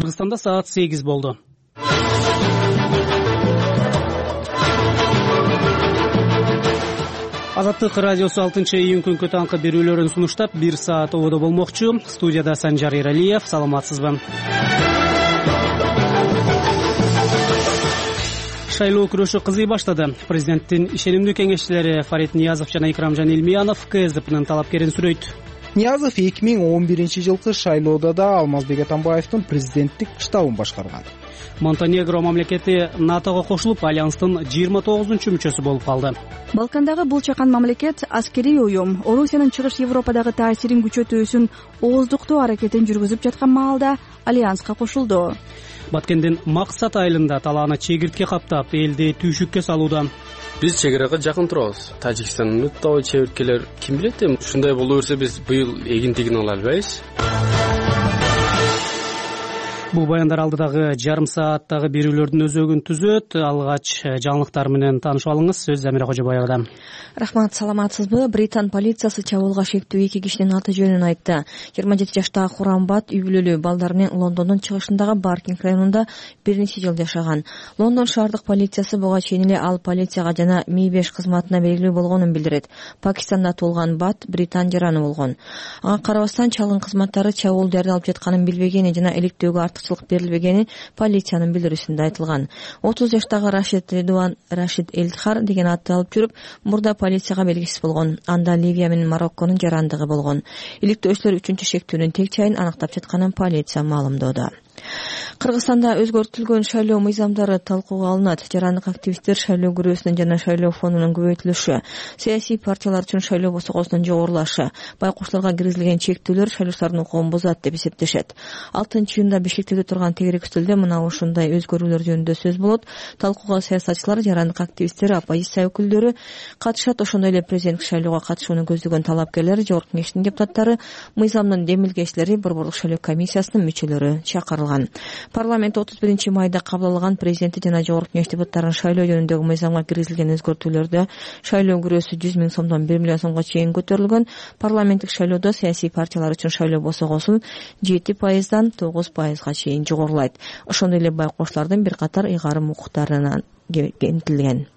Кыргызстанда саат 8 болду. Азаттык радиосу 6-июнь күнкү таңкы берүүлөрүн сунуштап 1 саат ободо болмокчу. Студияда Санжар Эралиев. Саламатсызбы? Шайлоо күрөшү кызый баштады. Президенттин ишенимдүү кеңешчилери Фарид Ниязов жана Икрамжан Илмиянов КСДПнын талапкерин сүрөйт. Ниязов 2011-жылкы шайлоодо да Алмазбек Атамбаевдин президенттик штабын башкарган. Монтенегро мамлекети НАТОго кошулуп, альянстын 29-мүчөсү болуп калды. Балкандагы бул чакан мамлекет аскерий уюм Орусиянын чыгыш Европадагы таасирин күчөтүү үчүн ооздуктоо аракетин жүргүзүп жаткан маалда альянска кошулду. Баткендин Максат айылында талааны чегиртке каптап, элди түйшүккө салууда. Биз чек арага жакын турабыз. Тажикстандын өтө чеберткелер ким билет эми ушундай боло берсе биз быйыл эгинтигин ала албайбыз. Бул баяндар алдыдагы жарым сааттагы берүүлөрдүн өзөгүн түзөт. Алгач жаңылыктар менен таанышып алыңыз. Сөз Замира Кожобаевада. Рахмат, саламатсызбы? Британ полициясы чабуулга шектүү 2 кишинин аты жөнүн айтты. 27 жаштагы Хурамбат үй бүлөлүү балдарынын Лондондун чыгышындагы Баркинг районунда бир нече жыл жашаган. Лондон шаардык полициясы буга чейин эле ал полицияга жана Mi5 кызматына белгилүү болгонун билдирет. Пакистанда туулган Бат Британ жараны болгон. Ага карабастан чалгын кызматтары чабуул даярдалып жатканын билбегени жана иликтөөгө артыкчылык берилбегени полициянын билдирүүсүндө айтылган. 30 жаштагы Рашид Редуан Рашид Элдхар деген атты алып жүрүп, мурда полицияга белгисиз болгон. Анда Ливия менен Марокконун жарандыгы болгон. Иликтөөчүлөр 3-чү шектүүнүн тең чайын аныктап жатканын полиция маалымдоодо. Кыргызстанда өзгөртүлгөн шайлоо мыйзамдары талкууга алынат. Жарандык активисттер шайлоо күрөөсүнүн жана шайлоо фонунун көбөйтүлүшү, саясий партиялар үчүн шайлоо босогосунун жогорулашы, байкошторго киргизилген чектүүлөр шайлоочулардын укугун бузат деп эсептешет. 6-июнда Бишкектеде турган тегерек үстөлдө мына ушундай өзгөрүүлөр жөнүндө сөз болот. Талкууга саясатчылар, жарандык активисттер, оппозиция өкүлдөрү катышат. Ошондой эле президенттик шайлоого катышууну көздөгөн талапкерлер, жогорку кеңештин депутаттары, мыйзамдын демилгечилери, борборлук шайлоо комиссиясынын мүчөлөрү чакырылган. Парламент 31 майда кабыл алган президенти жана жогорку кеңеш депутаттарынын шайлоо жөнүндөгү мыйзамга киргизилген өзгөртүүлөрдө шайлоо күрөөсү 100 000 сомдон 1 миллион сомго чейин көтөрүлгөн. Парламенттик шайлоодо саясий партиялар үчүн шайлоо босогосун 7%дан 9%га чейин жогорулайт. Ошондой эле байкоочулардын бир катар ыйгарым укуктарына кеңейтилген.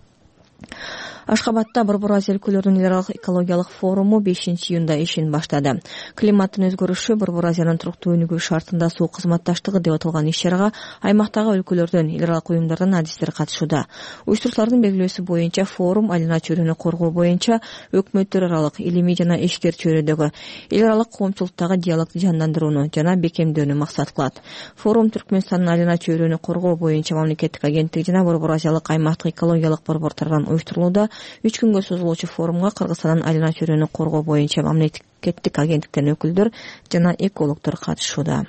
Ашхабадда Борбор Азия өлкөлөрүнүн эл аралык экологиялык форуму 5-июнда ишин баштады. Климаттын өзгөрүшү, Борбор Азиянын туруктуу өнүгүү шартында суу кызматташтыгы деп аталган иш-чарага аймактагы өлкөлөрдөн, эл аралык уюмдардан адистер катышууда. Уюштуруучулардын белгилөөсү боюнча форум айлана чөйрөнү коргоо боюнча өкмөттөр аралык, илимий жана ишкер чөйрөдөгү эл аралык коомчулуктагы диалогду жандандырууну жана бекемдөөнү максат кылат. Форум Түркмөнстандын айлана чөйрөнү коргоо боюнча мамлекеттик агенттиги жана Борбор Азиялык аймактык экологиялык борбор тарабынан уюштурулууда. 3 күнгө созулуучу форумга Кыргызстандын айлана чөйрөнү коргоо боюнча мамлекеттик агенттиктен өкүлдөр жана экологдор катышууда.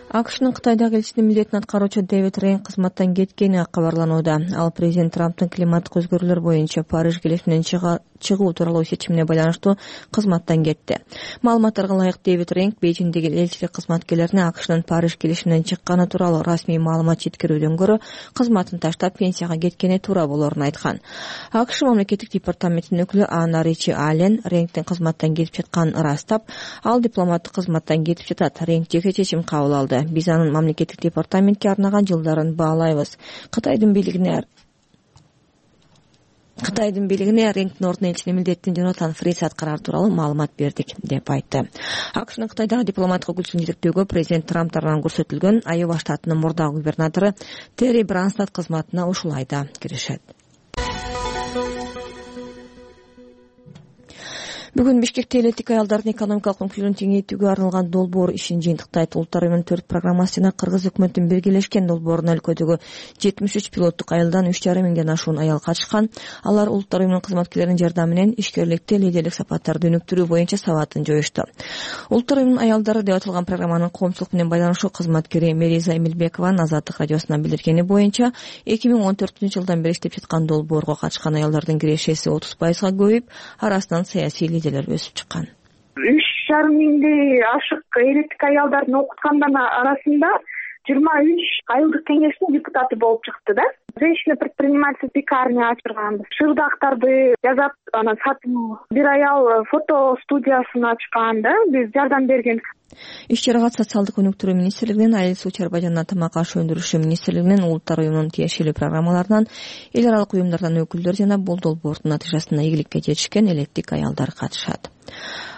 АКШнын Кытайдагы элчисинин милдетин аткаруучу Дэвид Рейн кызматтан кеткени кабарланууда. Ал президент Трамптын климаттык өзгөрүүлөр боюнча Париж келишиминен чыгуу тууралуу чечимине байланыштуу кызматтан кетти. Маалыматтарга ылайык, Дэвид Рейн Бейжиңдеги элчилик кызматкерлерине АКШнын Париж келишиминен чыкканы тууралуу расмий маалымат жеткирүүдөн көрө кызматын таштап пенсияга кеткени туура болоорун айткан. АКШ мамлекеттик департаментинин өкүлү Анна Ричи Аллен Рейндин кызматтан кетип жатканын ырастап, ал дипломаттык кызматтан кетип жатат. Рейнд жеке чечим кабыл алды. Биз анын мамлекеттик департаментке арнаган жылдарын баалайбыз. Кытайдын бийлигине Рейндин ордуна элчинин милдетин Джонатан Фрис аткарар тууралуу маалымат бердик деп айтты. АКШнын Кытайдагы дипломаттык өкүлчүсүн жетектөөгө президент Трамп тарабынан көрсөтүлгөн Айова штатынын мурдагы губернатору Терри Бранстад кызматына ушул айда киришет. Бүгүн Бишкекте элеттик аялдардын экономикалык мүмкүнчүлүгүн кеңейтүүгө арналган долбоор ишин жыйынтыктайт. Улуттар уюмунун 4 программасы жана Кыргыз өкмөтүнүн биргелешкен долбоорунда өлкөдөгү 73 пилоттук айылдан 3,5 миңден ашуун аял катышкан. Алар улуттар уюмунун кызматкерлеринин жардамы менен ишкерликти, лидерлик сапаттарды өнүктүрүү боюнча сабатын жоюшту. Улуттар уюмунун аялдары деп аталган программанын коомчулук менен байланышуу кызматкери Мериза Эмилбекованын Азаттык радиосуна билдиргени боюнча 2014-жылдан бери иштеп жаткан долбоорго катышкан аялдардын кирешеси 30%га көбөйүп, арасынан саясий лидерлер өсүп чыккан. 3,5 миңдей ашык элеттик аялдардын окуткандардын арасында 23 айылдык кеңештин депутаты болуп чыкты да. Женщина-предприниматель пекарня ачырганбыз. Шырдактарды жазат, анан сатуу. Бир аял фото студиясын ачкан да, биз жардам берген. Иш чарага социалдык өнүктүрүү министрлигинин, айыл суу чарба жана тамак аш өндүрүшү министрлигинин, улуттар уюмунун тиешелүү программаларынан, эл аралык уюмдардан өкүлдөр жана бул долбоордун натыйжасында ийгиликке жетишкен элеттик аялдар катышат.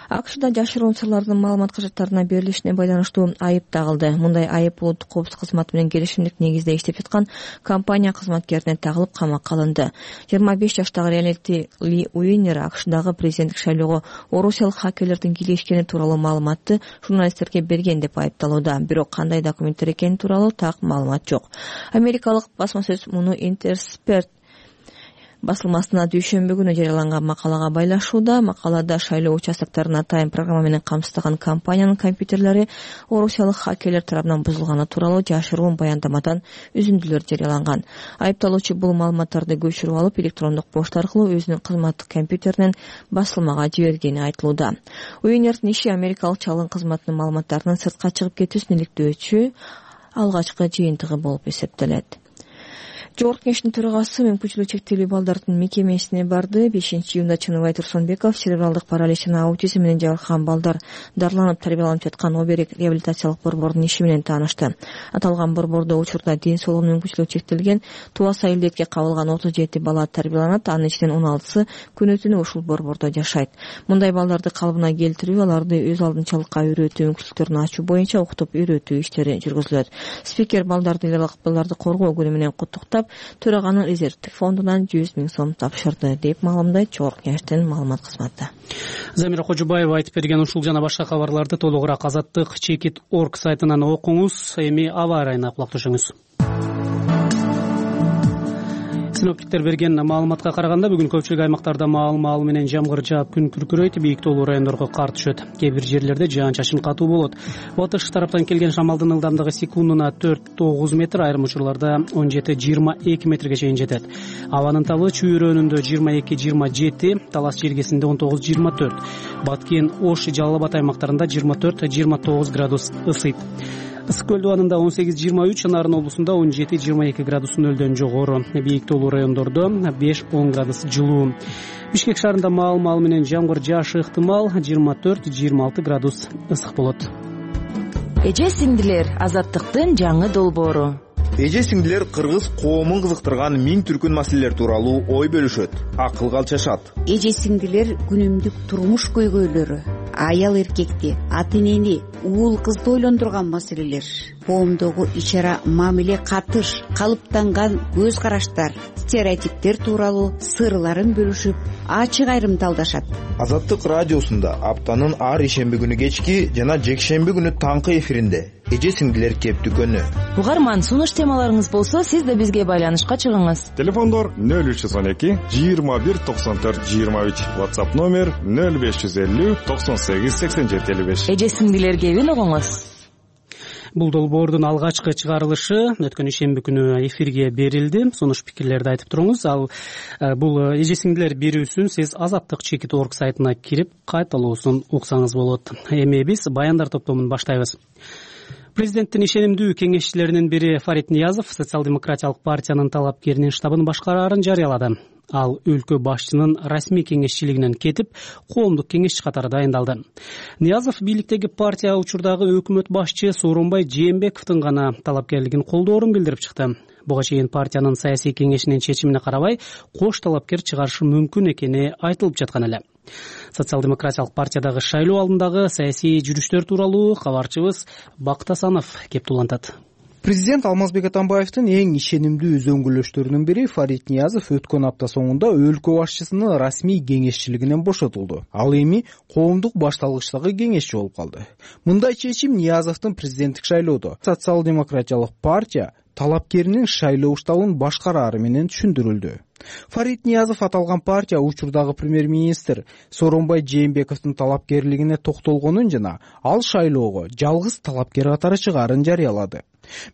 АКШда жашыруун сырлардын маалымат кажаттарына берилишине байланыштуу айып тагылды. Мындай айып улуттук коопсуздук кызматы менен келишимдик негизде иштеп жаткан компания кызматкерине тагылып камакка алынды. 25 жаштагы Реалити Ли Уинер АКШдагы президенттик шайлоого орусиялык хакерлердин кийлешкени тууралуу маалыматты журналисттерге берген деп айыпталууда. Бирок кандай документтер экени тууралуу так маалымат жок. Америкалык басма сөз муну Интерспресс басылмасына дүйшөмбү күнү жарыяланган макалага байлашууда. Макалада шайлоо участоктарын атайын программа менен камсыздаган компаниянын компьютерлери орусиялык хакерлер тарабынан бузулганы тууралуу жашыруун баяндамадан үзүндүлөр жарыяланган. Айыпталуучу бул маалыматтарды көчүрүп алып, электрондук почта аркылуу өзүнүн кызматтык компьютеринен басылмага жибергени айтылууда. Уинердин иши Америкалык чалгын кызматынын маалыматтарынын сыртка чыгып кетүүсүн иликтөөчү алгачкы жыйынтыгы болуп эсептелет. Жогорку Кеңештин төрагасы мүмкүнчүлүгү чектелүү балдардын мекемесине барды. 5-июнда Чыныбай Турсунбеков церебралдык паралич жана аутизм менен жабыркаган балдар дарыланып тарбияланып жаткан Оберег реабилитациялык борбордун иши менен таанышты. Аталган борбордо учурда ден соолугунун мүмкүнчүлүгү чектелген Туас айылдетке кабылган 37 бала тарбияланат. Анын ичинен 16сы күнү түнү ушул борбордо жашайт. Мындай балдарды калыбына келтирүү, аларды өз алдынчалыкка үйрөтүү мүмкүнчүлүктөрүн ачуу боюнча окутуп үйрөтүү иштери жүргүзүлөт. Спикер балдарды балдарды коргоо күнү менен куттуктап, төраганын резервдик фондунан 100 000 сом тапшырды деп маалымдайт Жогорку Кеңештин маалымат кызматы. Замира Кожубаева айтып берген ушул жана башка кабарларды толугураак Азаттык.org сайтынан окуңуз. Эми аба ырайына кулак түшүңүз. Синоптиктер берген маалыматка караганда бүгүн көпчүлүк аймактарда маал менен жамгыр жаап күн күркүрөйт, бийик тоолуу райондорго кар түшөт. Кээ бир жерлерде жаан-чачын катуу болот. Батыш тараптан келген шамалдын ылдамдыгы секундуна 4-9 метр, айрым учурларда 17-22 метрге чейин жетет. Абанын табы Чүй өрөөнүндө 22-27, Талас жергесинде 19-24, Баткен, Ош, Жалал Абад аймактарында 24-29 градус ысыйт. Ысык көл дубанында 18-23, Нарын облусунда 17-22 градус нөлдөн жогору, бийик тоолуу райондордо 5-10 градус жылуу. Бишкек шаарында маал менен жамгыр жаашы ыктымал, 24-26 градус ысык болот. Эже сиңдилер, Азаттыктын жаңы долбоору. Эже сиңдилер кыргыз коомун кызыктырган миң түркүн маселелер тууралуу ой бөлүшөт, акыл калчашат. Эже сиңдилер күнүмдүк турмуш көйгөйлөрү, аял эркекти, ата энени, уул кызды ойлондурган маселелер, коомдогу ич-ара мамиле катыш, калыптанган көз караштар, стереотиптер тууралуу сырларын бөлүшүп, ачык айрымдалдашат. Азаттык радиосунда аптанын ар ишемби күнү кечки жана жекшемби күнү таңкы эфиринде эже сиңдилер кептүү күнү. Угарман, сунуш темаларыңыз болсо, сиз да бизге байланышка чыгыңыз. Телефондор 0312 21 94 23, WhatsApp номер 0550 98 87 55. Эже сиңдилер кебин угуңуз. Бул долбоордун алгачкы чыгарылышы өткөн ишемби күнү эфирге берилди. Сунуш пикирлерди айтып туруңуз. Ал бул эже сиңдилер берүүсүн сиз Азаттык.org сайтына кирип кайталоосун уксаңыз болот. Эми биз баяндар топтомун баштайбыз. Президенттин ишенимдүү кеңешчилеринин бири Фарид Ниязов Социал-демократиялык партиянын талапкеринин штабын башкараарын жарыялады. Ал өлкө башчынын расмий кеңешчилигинен кетип, коомдук кеңешчи катары дайындалды. Ниязов бийликтеги партия учурдагы өкмөт башчы Сооронбай Жээнбековдун гана талапкерлигин колдоорун билдирип чыкты. Буга чейин партиянын саясий кеңешинин чечимине карабай, кош талапкер чыгарышы мүмкүн экени айтылып жаткан эле. Социал-демократиялык партиядагы шайлоо алдындагы саясий жүрүштөр тууралуу кабарчыбыз Бакыт Асанов кеп улантат. Президент Алмазбек Атамбаевдин эң ишенимдүү өзөңгүлөштөрүнүн бири Фарид Ниязов өткөн апта соңунда өлкө башчысынын расмий кеңешчилигинен бошотулду. Ал эми коомдук башталгычтагы кеңешчи болуп калды. Мындай чечим Ниязовдун президенттик шайлоодо Социал-демократиялык партия талапкеринин шайлоо штабын башкарары менен түшүндүрүлдү. Фарид Ниязов аталган партия учурдагы премьер-министр Сооронбай Жээнбековдун талапкерлигине токтолгонун жана ал шайлоого жалгыз талапкер катары чыгаарын жарыялады.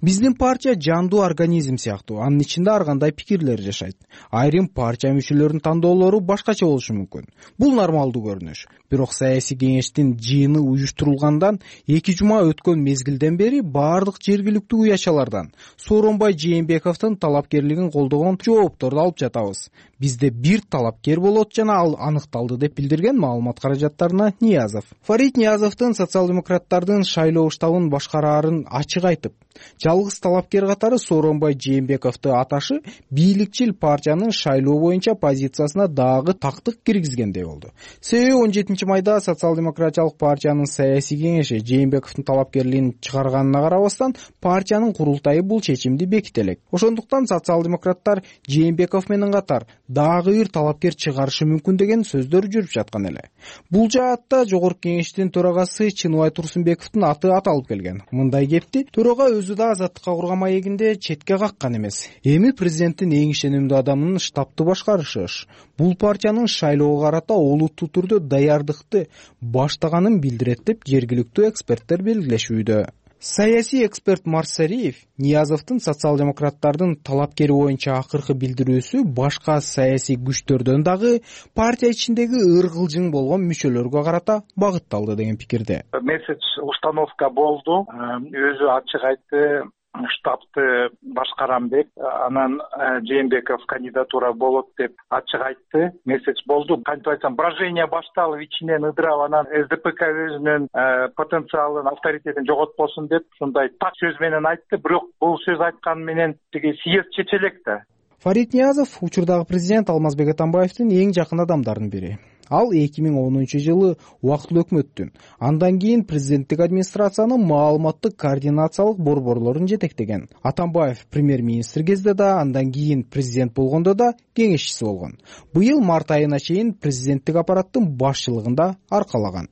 Биздин партия жандуу организм сыяктуу, анын ичинде ар кандай пикирлер жашайт. Айрым партия мүчөлөрүнүн тандоолору башкача болушу мүмкүн. Бул нормалдуу көрүнүш. Бирок саясий кеңештин жыйыны уюштурулгандан 2 жума өткөн мезгилден бери баардык жергиликтүү уячалардан Сооронбай Жээнбековдун талапкерлигин колдогон жоопторду алып жатабыз. Бизде бир талапкер болот жана ал аныкталды деп билдирген маалымат каражаттарына Ниязов. Фарид Ниязовдун социал-демократтардын шайлоо штабын башкараарын ачык айтып, жалгыз талапкер катары Сооронбай Жээнбековду аташы бийликчил партиянын шайлоо боюнча позициясына дагы тактык киргизгендей болду. Себеби 17 майда социал-демократиялык партиянын саясий кеңеши Жээнбековдун талапкерлигин чыгарганына карабастан партиянын курултайы бул чечимди беките элек. Ошондуктан социал-демократтар Жээнбеков менен катар дагы бир талапкер чыгарышы мүмкүн деген сөздөр жүрүп жаткан эле. Бул жаатта жогорку кеңештин төрагасы Чыныбай Турсунбековдун аты аталып келген. Мындай кепти төрага өзү да азаттыкка курган маегинде четке каккан эмес. Эми президенттин эң ишенимдүү адамынын штабты башкарышы. Бул партиянын шайлоого карата олуттуу түрдө даярдыкты баштаганын билдирет деп жергиликтүү эксперттер белгилешүүдө. Саясий эксперт Марсариев Ниязовдун социал-демократтардын талапкери боюнча акыркы билдирүүсү башка саясий күчтөрдөн дагы партия ичиндеги ыргылжың болгон мүчөлөргө карата багытталды деген пикирде. Месяц установка болду. Өзү ачык айтты, штабты башкарам деп, анан Жээнбеков кандидатура болот деп ачык айтты. Месяц болду. Кантип айтсам, брожение башталып, ичинен ыдырап, анан СДПК өзүнүн потенциалын, авторитетин жоготпосун деп ушундай так сөз менен айтты. Бирок бул сөз айткан менен тиги съезд чече элек да. Фарид Ниязов учурдагы президент Алмазбек Атамбаевдин эң жакын адамдарынын бири. Ал 2010-жылы убактылуу өкмөттүн, андан кийин президенттик администрациянын маалыматтык координациялык борборлорун жетектеген. Атамбаев премьер-министр кезде да, андан кийин президент болгондо да кеңешчиси болгон. Быйыл март айына чейин президенттик аппараттын башчылыгында аркалаган.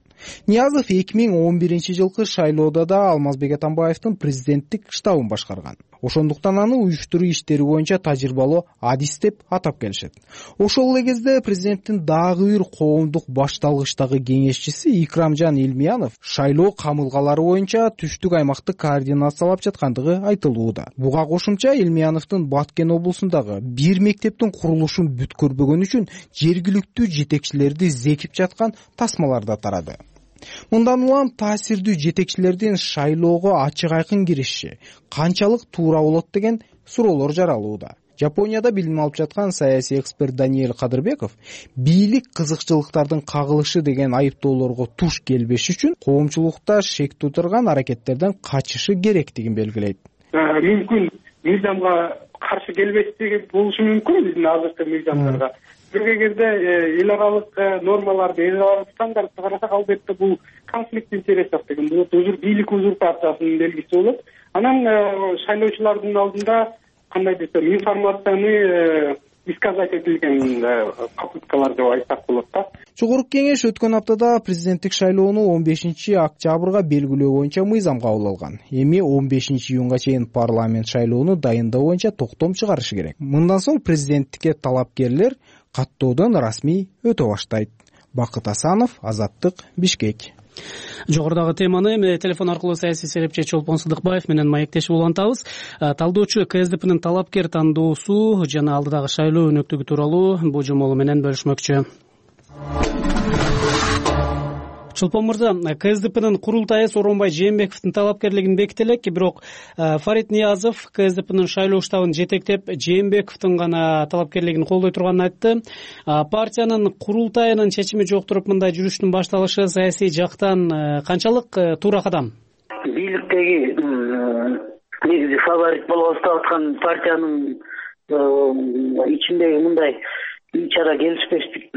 Ниязов 2011-жылкы шайлоодо да Алмазбек Атамбаевдин президенттик штабын башкарган. Ошондуктан аны уюштуруу иштери боюнча тажрыйбалуу адис деп атап келишет. Ошол эле кезде президенттин дагы бир коомдук башталгычтагы кеңешчиси Икрамжан Илмиянов шайлоо камылгалары боюнча түштүк аймакты координациялап жаткандыгы айтылууда. Буга кошумча Илмияновдун Баткен облусундагы бир мектептин курулушун бүткөрбөгөн үчүн жергиликтүү жетекчилерди зекип жаткан тасмалар да тарады. Мындан улам таасирдүү жетекчилердин шайлоого ачык айкын кириши канчалык туура болот деген суроолор жаралууда. Жапонияда билим алып жаткан саясий эксперт Даниэль Кадырбеков бийлик кызыкчылыктардын кагылышы деген айыптоолорго туш келбеш үчүн коомчулукта шек туудурган аракеттерден качышы керектигин белгилейт. Мүмкүн мыйзамга каршы келбештиги болушу мүмкүн биздин азыркы мыйзамдарга. Бир кезде эл аралык нормаларды, эл аралык стандартты карасак, албетте бул конфликт интересов деген болот, бийлик узурпациясынын белгиси болот. Анан шайлоочулардын алдында кандай десем, информацияны исказать этилген попыткалар деп айтсак болот да. Жогорку кеңеш өткөн аптада президенттик шайлоону 15-октябрга белгилөө боюнча мыйзам кабыл алган. Эми 15-июнга чейин парламент шайлоону дайындоо боюнча токтом чыгарышы керек. Мындан соң президенттикке талапкерлер каттоодон расмий өтө баштайт. Бакыт Асанов, Азаттык, Бишкек. Жогорудагы теманы эми телефон аркылуу саясий серепчи Чолпон Сыдыкбаев менен маектешип улантабыз. Талдоочу КСДПнын талапкер тандоосу жана алдыдагы шайлоо өнөктүгү тууралуу божомолу менен бөлүшмөкчү. Чолпон мырза, КСДПнын курултайы Сооронбай Жээнбековдун талапкерлигин беките элек, бирок Фарид Ниязов КСДПнын шайлоо штабын жетектеп Жээнбековдун гана талапкерлигин колдой турганын айтты. Партиянын курултайынын чечими жок туруп мындай жүрүштүн башталышы саясий жактан канчалык туура кадам? Бийликтеги негизи фаворит болуп аткан партиянын ичиндеги мындай ичара келишпештик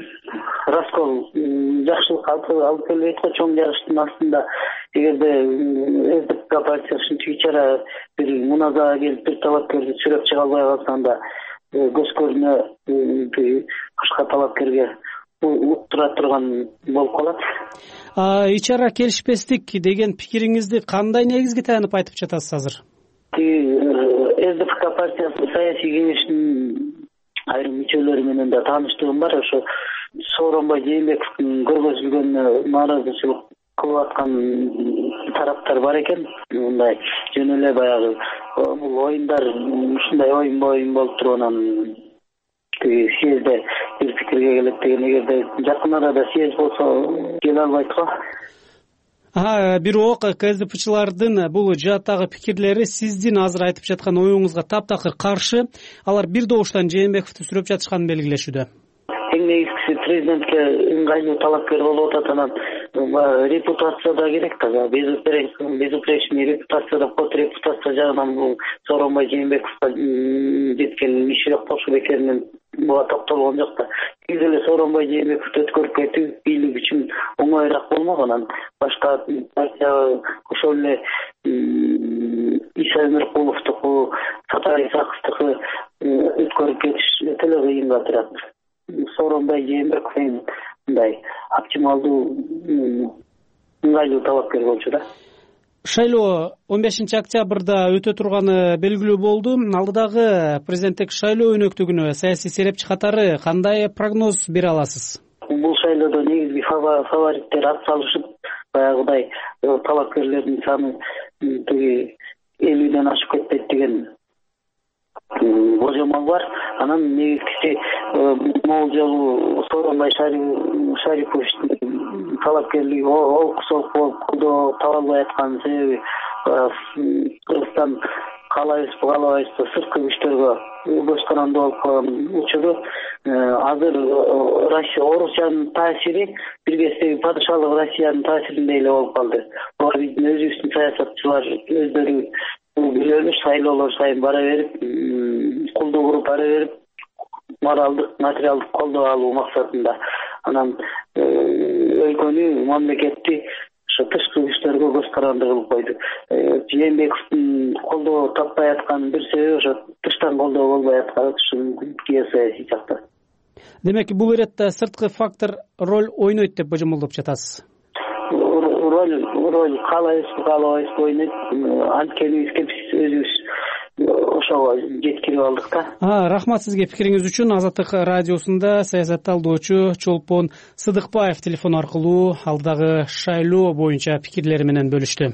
раскол жакшылыкка алып келбейт го. Чоң жарыштын астында эгерде СДПК партиясы ушинтип ичара бир муназага келип бир талапкерди сүрөп чыга албай калса, анда көзкөрүнө башка талапкерге уктура турган болуп калат. Ичара келишпестик деген пикириңизди кандай негизге таянып айтып жатасыз азыр? СДПК партиясы саясий кеңешинин айрым мүчөлөрү менен да тааныштыгым бар. Ошо Сооронбай Жээнбековдун көргөзүлгөн нааразычылык кылып аткан тараптар бар экен. Мындай жөн эле баягы бул оюндар ушундай оюн болуп туруп анан тиги съезде бир пикирге келет деген. Эгерде жакын арада съезд болсо келе албайт го. Бирок КСДПчылардын бул жааттагы пикирлери сиздин азыр айтып жаткан оюңузга таптакыр каршы. Алар бир добуштан Жээнбековду сүрөп жатышканын белгилешүүдө. Эң негизгиси президентке ыңгайлуу талапкер болуп атат. Анан репутация да керек да. Безупречный репутация да кот репутация жагынан бул Сооронбай Жээнбековго жеткен иши кошуп экенин буга токтолгон жок да. Тиз эле Сооронбай Жээнбековду өткөрүп кетүү бийлик үчүн оңоюраак болмок. Анан башка партия ошол эле Иса Өмөркуловдуку, Сатар Исаковдуку өткөрүп кетиш өтө эле кыйынга турат. Сооронбай Жээнбеков мындай оптималдуу ыңгайлуу талапкер болчу да. Шайлоо 15-октябрда өтө турганы белгилүү болду. Алдыдагы президенттик шайлоо өнөктүгүнө саясий серепчи катары кандай прогноз бере аласыз? Бул шайлоодо негизги фавориттер ат салышып, баягыдай талапкерлердин саны тиги 50ден ашып кетпейт деген божомол бар. Анан негизгиси могул жолу Сооронбай Шариповичтин талапкерлиги олкусоп болуп колдоо таба албай аткан себеби Кыргызстан каалайбызбы сырткы күчтөргө көз каранды болуп калган учуру азыр Орусиянын таасири бир кездеги падышалык Россиянын таасиринде эле болуп калды. Биздин өзүбүздүн саясатчылар өздөрү билебиз шайлоолор сайын бара берип, колдоо куруп бара берип, моралдык, материалдык колдоо алуу максатында анан өлкөнү, мамлекетти ошо тышкы күчтөргө көз каранды кылып койду. Жээнбековдун колдоо таппай аткан бир себеби ошо тыштан колдоо болбой аткан геосаясий жакта. Демек, бул иретте сырткы фактор роль ойнойт деп божомолдоп жатасыз. Роль каалайбызбы ойнойт. Анткени биз өзүбүз ошого жеткирип алдык да. Рахмат сизге пикириңиз үчүн. Азаттык радиосунда саясат талдоочу Чолпон Сыдыкбаев телефон аркылуу алдыдагы шайлоо боюнча пикирлери менен бөлүштү.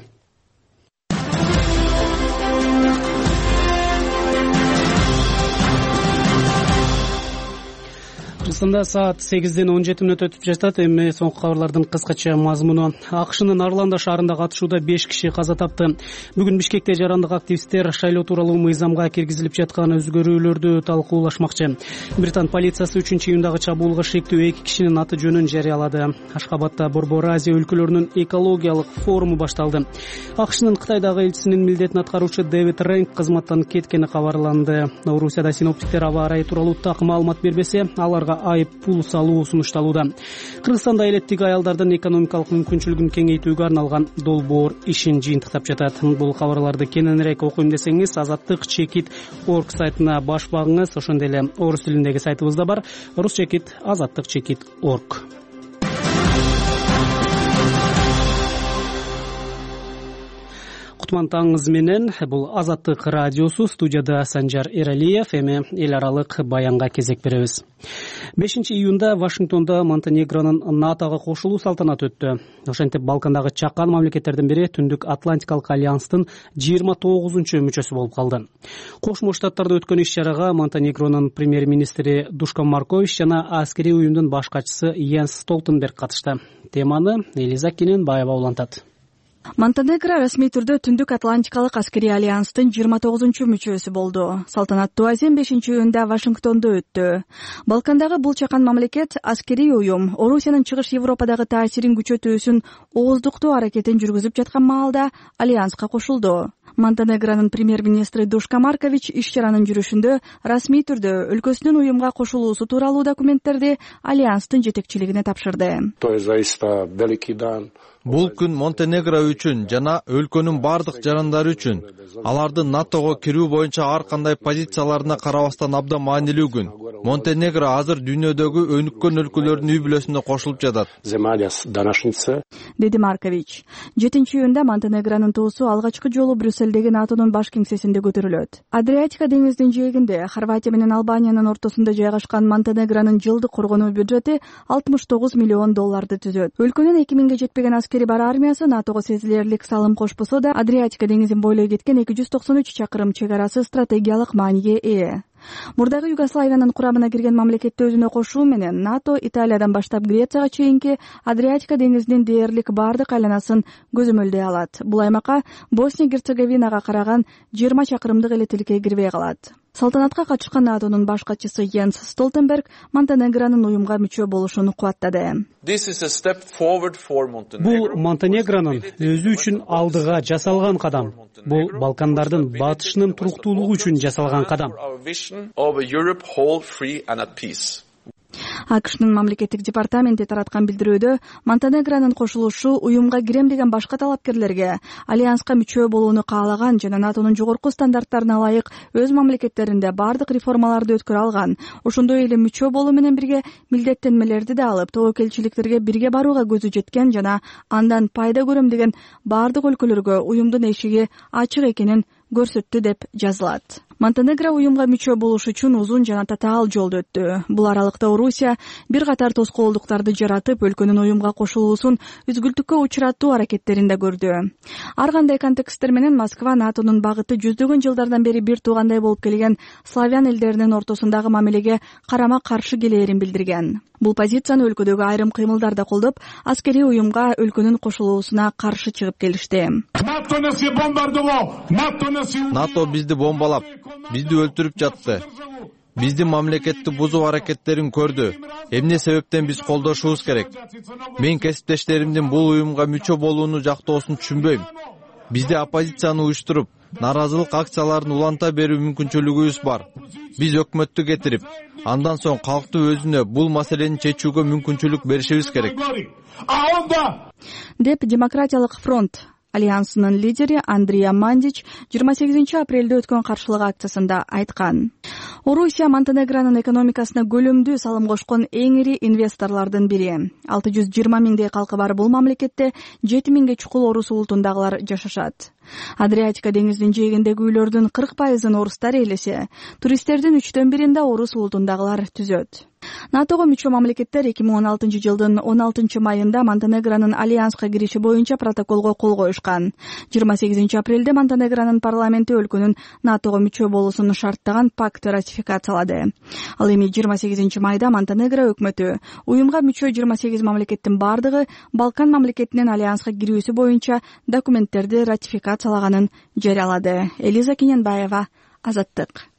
Кыргызстанда саат 8:17 өтүп жатат. Эми соңку кабарлардын кыскача мазмуну. АКШнын Орландо шаарындагы атышууда 5 киши каза тапты. Бүгүн Бишкекте жарандык активисттер шайлоо тууралуу мыйзамга киргизилип жаткан өзгөрүүлөрдү талкуулашмакчы. Британ полициясы 3-июндагы чабуулга шектүү 2 кишинин аты жөнүн жарыялады. Ашкабадда Борбор Азия өлкөлөрүнүн экологиялык форуму башталды. АКШнын Кытайдагы элчисинин милдетин аткаруучу Дэвид Рэнк кызматтан кеткени кабарланды. Орусияда синоптиктер аба ырайы тууралуу так маалымат бербесе, аларга айып пул салуу сунушталууда. Кыргызстанда элеттик аялдардын экономикалык мүмкүнчүлүгүн кеңейтүүгө арналган долбоор ишин жыйынтыктап жатат. Бул кабарларды кененирээк окуйм десеңиз, azattik.org сайтына баш багыңыз. Ошондой эле орус тилиндеги сайтыбыз да бар. rus.azattik.org. Кутман таңыңыз менен. Бул Азаттык радиосу. Студияда Санжар Эралиев. Эми эл аралык баянга кезек беребиз. 5-июнда Вашингтонда Монтенегронун НАТОго кошулуу салтанаты өттү. Ошентип Балкандагы чакан мамлекеттердин бири Түндүк Атлантикалык альянстын 29-мүчөсү болуп калды. Кошмо Штаттарда өткөн иш-чарага Монтенегронун премьер-министри Душкан Маркович жана аскерий уюмдун баш катчысы Йенс Столтенберг катышты. Теманы Элиза Кененбаева улантат. Монтенегро расмий түрдө Түндүк Атлантикалык аскерий альянстын 29-мүчөсү болду. Салтанаттуу азем 5-июнда Вашингтондо өттү. Балкандагы бул чакан мамлекет аскерий уюм Орусиянын чыгыш Европадагы таасирин күчөтүү үчүн ооздуктуу аракетин жүргүзүп жаткан маалда альянска кошулду. Монтенегронун премьер-министри Душкан Маркович иш-чаранын жүрүшүндө расмий түрдө өлкөсүнүн уюмга кошулуусу тууралуу документтерди альянстын жетекчилигине тапшырды. Бул күн Монтенегро үчүн жана өлкөнүн бардык жарандары үчүн, алардын НАТОго кирүү боюнча ар кандай позицияларына карабастан абдан маанилүү күн. Монтенегро азыр дүйнөдөгү өнүккөн өлкөлөрдүн үй бүлөсүнө кошулуп жатат, деди Маркович. 7-июнда Монтенегронун туусу алгачкы жолу Брюссельдеги НАТОнун баш кеңсесинде көтөрүлөт. Адриатика деңизинин жээгинде Хорватия менен Албаниянын ортосунда жайгашкан Монтенегронун жылдык коргонуу бюджети $69 миллион түзөт. Өлкөнүн 2000ге жетпеген аскери бар армиясы НАТОго сезилерлик салым кошпосо да Адриатика деңизин бойлой кеткен 293 чакырым чек арасы стратегиялык мааниге ээ. Мурдагы Югославиянын курамына кирген мамлекетти өзүнө кошуу менен НАТО Италиядан баштап Грецияга чейинки Адриатика деңизинин дээрлик бардык айланасын көзөмөлдөй алат. Бул аймакка Босния-Герцеговинага караган 20 чакырымдык эле тилке кирбей калат. Салтанатка катышкан НАТОнун баш катчысы Йенс Столтенберг Монтенегронун уюмга мүчө болушун кубаттады. Бул Монтенегронун өзү үчүн алдыга жасалган кадам. Бул Балкандардын батышынын туруктуулугу үчүн жасалган кадам. АКШнын мамлекеттик департаменти тараткан билдирүүдө Монтенегронун кошулушу уюмга кирем деген башка талапкерлерге альянска мүчө болууну каалаган жана НАТОнун жогорку стандарттарына ылайык өз мамлекеттеринде бардык реформаларды өткөрө алган, ошондой эле мүчө болуу менен бирге милдеттенмелерди да алып, тобокелчиликтерге бирге барууга көзү жеткен жана андан пайда көрөм деген бардык өлкөлөргө уюмдун эшиги ачык экенин көрсөттү деп жазылат. Монтенегро уюмга мүчө болуш үчүн узун жана татаал жолду өттү. Бул аралыкта Орусия бир катар тоскоолдуктарды жаратып, өлкөнүн уюмга кошулуусун үзгүлтүккө учуратуу аракеттерин да көрдү. Ар кандай контексттер менен Москва НАТОнун багыты жүздөгөн жылдардан бери бир туугандай болуп келген славян элдеринин ортосундагы мамилеге карама каршы келээрин билдирген. Бул позицияны өлкөдөгү айрым кыймылдар да колдоп, аскерий уюмга өлкөнүн кошулуусуна каршы чыгып келишти. НАТО бизди бомбалап, бизди өлтүрүп жатты. Биздин мамлекетти бузуу аракеттерин көрдү. Эмне себептен биз колдошубуз керек? Мен кесиптештеримдин бул уюмга мүчө болууну жактоосун түшүнбөйм. Бизде оппозицияны уюштуруп, наразылык акцияларын уланта берүү мүмкүнчүлүгүбүз бар. Биз өкмөттү кетирип, андан соң калкты өзүнө бул маселени чечүүгө мүмкүнчүлүк беришибиз керек. Деп Демократиялык фронт альянсынын лидери Андрей Мандич 28 апрелде өткөн каршылык акциясында айткан. Орусия Монтенегронун экономикасына көлөмдүү салым кошкон эң ири инвесторлордун бири. 620 миңдей калкы бар бул мамлекетте 7 миңге чукул орус улутундагылар жашашат. Адриатика деңизинин жээгиндеги үйлөрдүн 40% орустар ээлесе, туристтердин 1/3 орус улутундагылар түзөт. НАТОго мүчө мамлекеттер 2016 жылдын 16 майында Монтенегронун альянска кириши боюнча протоколго кол коюшкан. 28 апрелде Монтенегронун парламенти өлкөнүн НАТОго мүчө болуусун шарттаган пакты ратификациялады. Ал эми 28 майда Монтенегро өкмөтү уюмга мүчө 28 мамлекеттин бардыгы Балкан мамлекетинин альянска кирүүсү боюнча документтерди ратификациялаганын жарыялады. Элиза Кененбаева, Азаттык.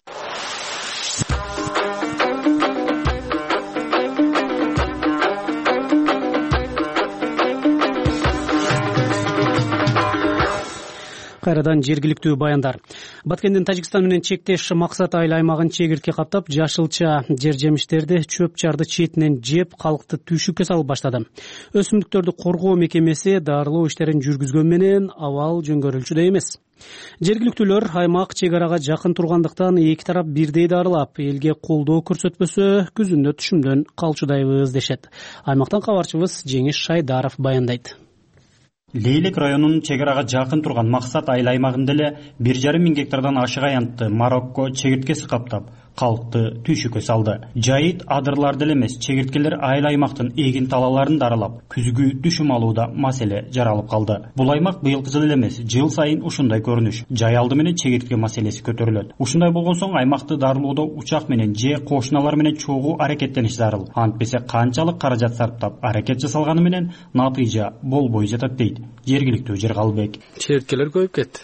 Кайрадан жергиликтүү баяндар. Баткендин Тажикстан менен чектеш Максат айыл аймагын чегиртке каптап, жашылча жер жемиштерди, чөп чарды четинен жеп, калкты түйшүккө салып баштады. Өсүмдүктөрдү коргоо мекемеси дарылоо иштерин жүргүзгөн менен абал жөнгөрүлчүдөй эмес. Жергиликтүүлөр аймак чек арага жакын тургандыктан эки тарап бирдей дарылап, элге колдоо көрсөтпөсө күзүндө түшүмдөн калчудайбыз дешет. Аймактан кабарчыбыз Жеңиш Шайдаров баяндайт. Лейлек районунун чек арага жакын турган Максат айыл аймагында эле 1,5 миң гектардан ашык аянтты Марокко чегирткеси каптап, калкты түйшүккө салды. Жайыт адырларды эле эмес, чегирткелер айыл аймактын эгин талааларын дарылап, күзгү түшүм алууда маселе жаралып калды. Бул аймак быйылкы жыл эле эмес, жыл сайын ушундай көрүнүш, жай алды менен чегиртке маселеси көтөрүлөт. Ушундай болгон соң аймакты дарылоодо учак менен же кошуналар менен чогуу аракеттениш зарыл. Антпесе канчалык каражат сарптап аракет жасалганы менен натыйжа болбой жатат дейт жергиликтүү Жергалбек. Чегирткелер көбөйүп кетти.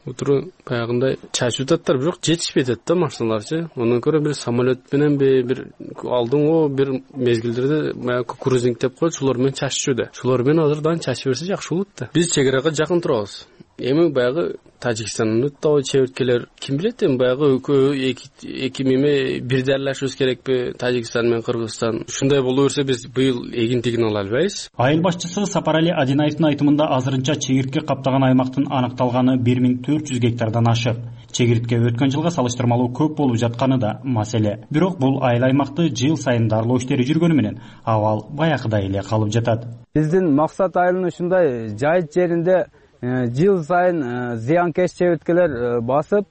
Утуру баягындай чачып жататтар, бирок жетишпей жатат да машиналарчы. Ондан көрө бир самолет менен бир алдыңго бир мезгилдерде баягы кукурузник деп коет, шулар менен чачышууда. Шулар менен азырдан чачып берсе жакшы болот да. Биз чек арага жакын турабыз. Эми баягы Тажикстандын табы чегирткелер ким билет, эми баягы эки меме бир дарылашыбыз керекпи, Тажикстан менен Кыргызстан. Ушундай боло берсе биз быйыл эгинтигин ала албайбыз. Айыл башчысы Сапарали Адинаевдин айтымында азырынча чегиртке каптаган аймактын аныкталганы 1400 гектардан ашык. Чегиртке өткөн жылга салыштырмалуу көп болуп жатканы да маселе. Бирок бул айыл аймакты жыл сайын дарылоо иштери жүргөнү менен абал баягыдай эле калып жатат. Биздин Максат айылынын ушундай жайыт жеринде жыл сайын зыянкеш чегирткелер басып,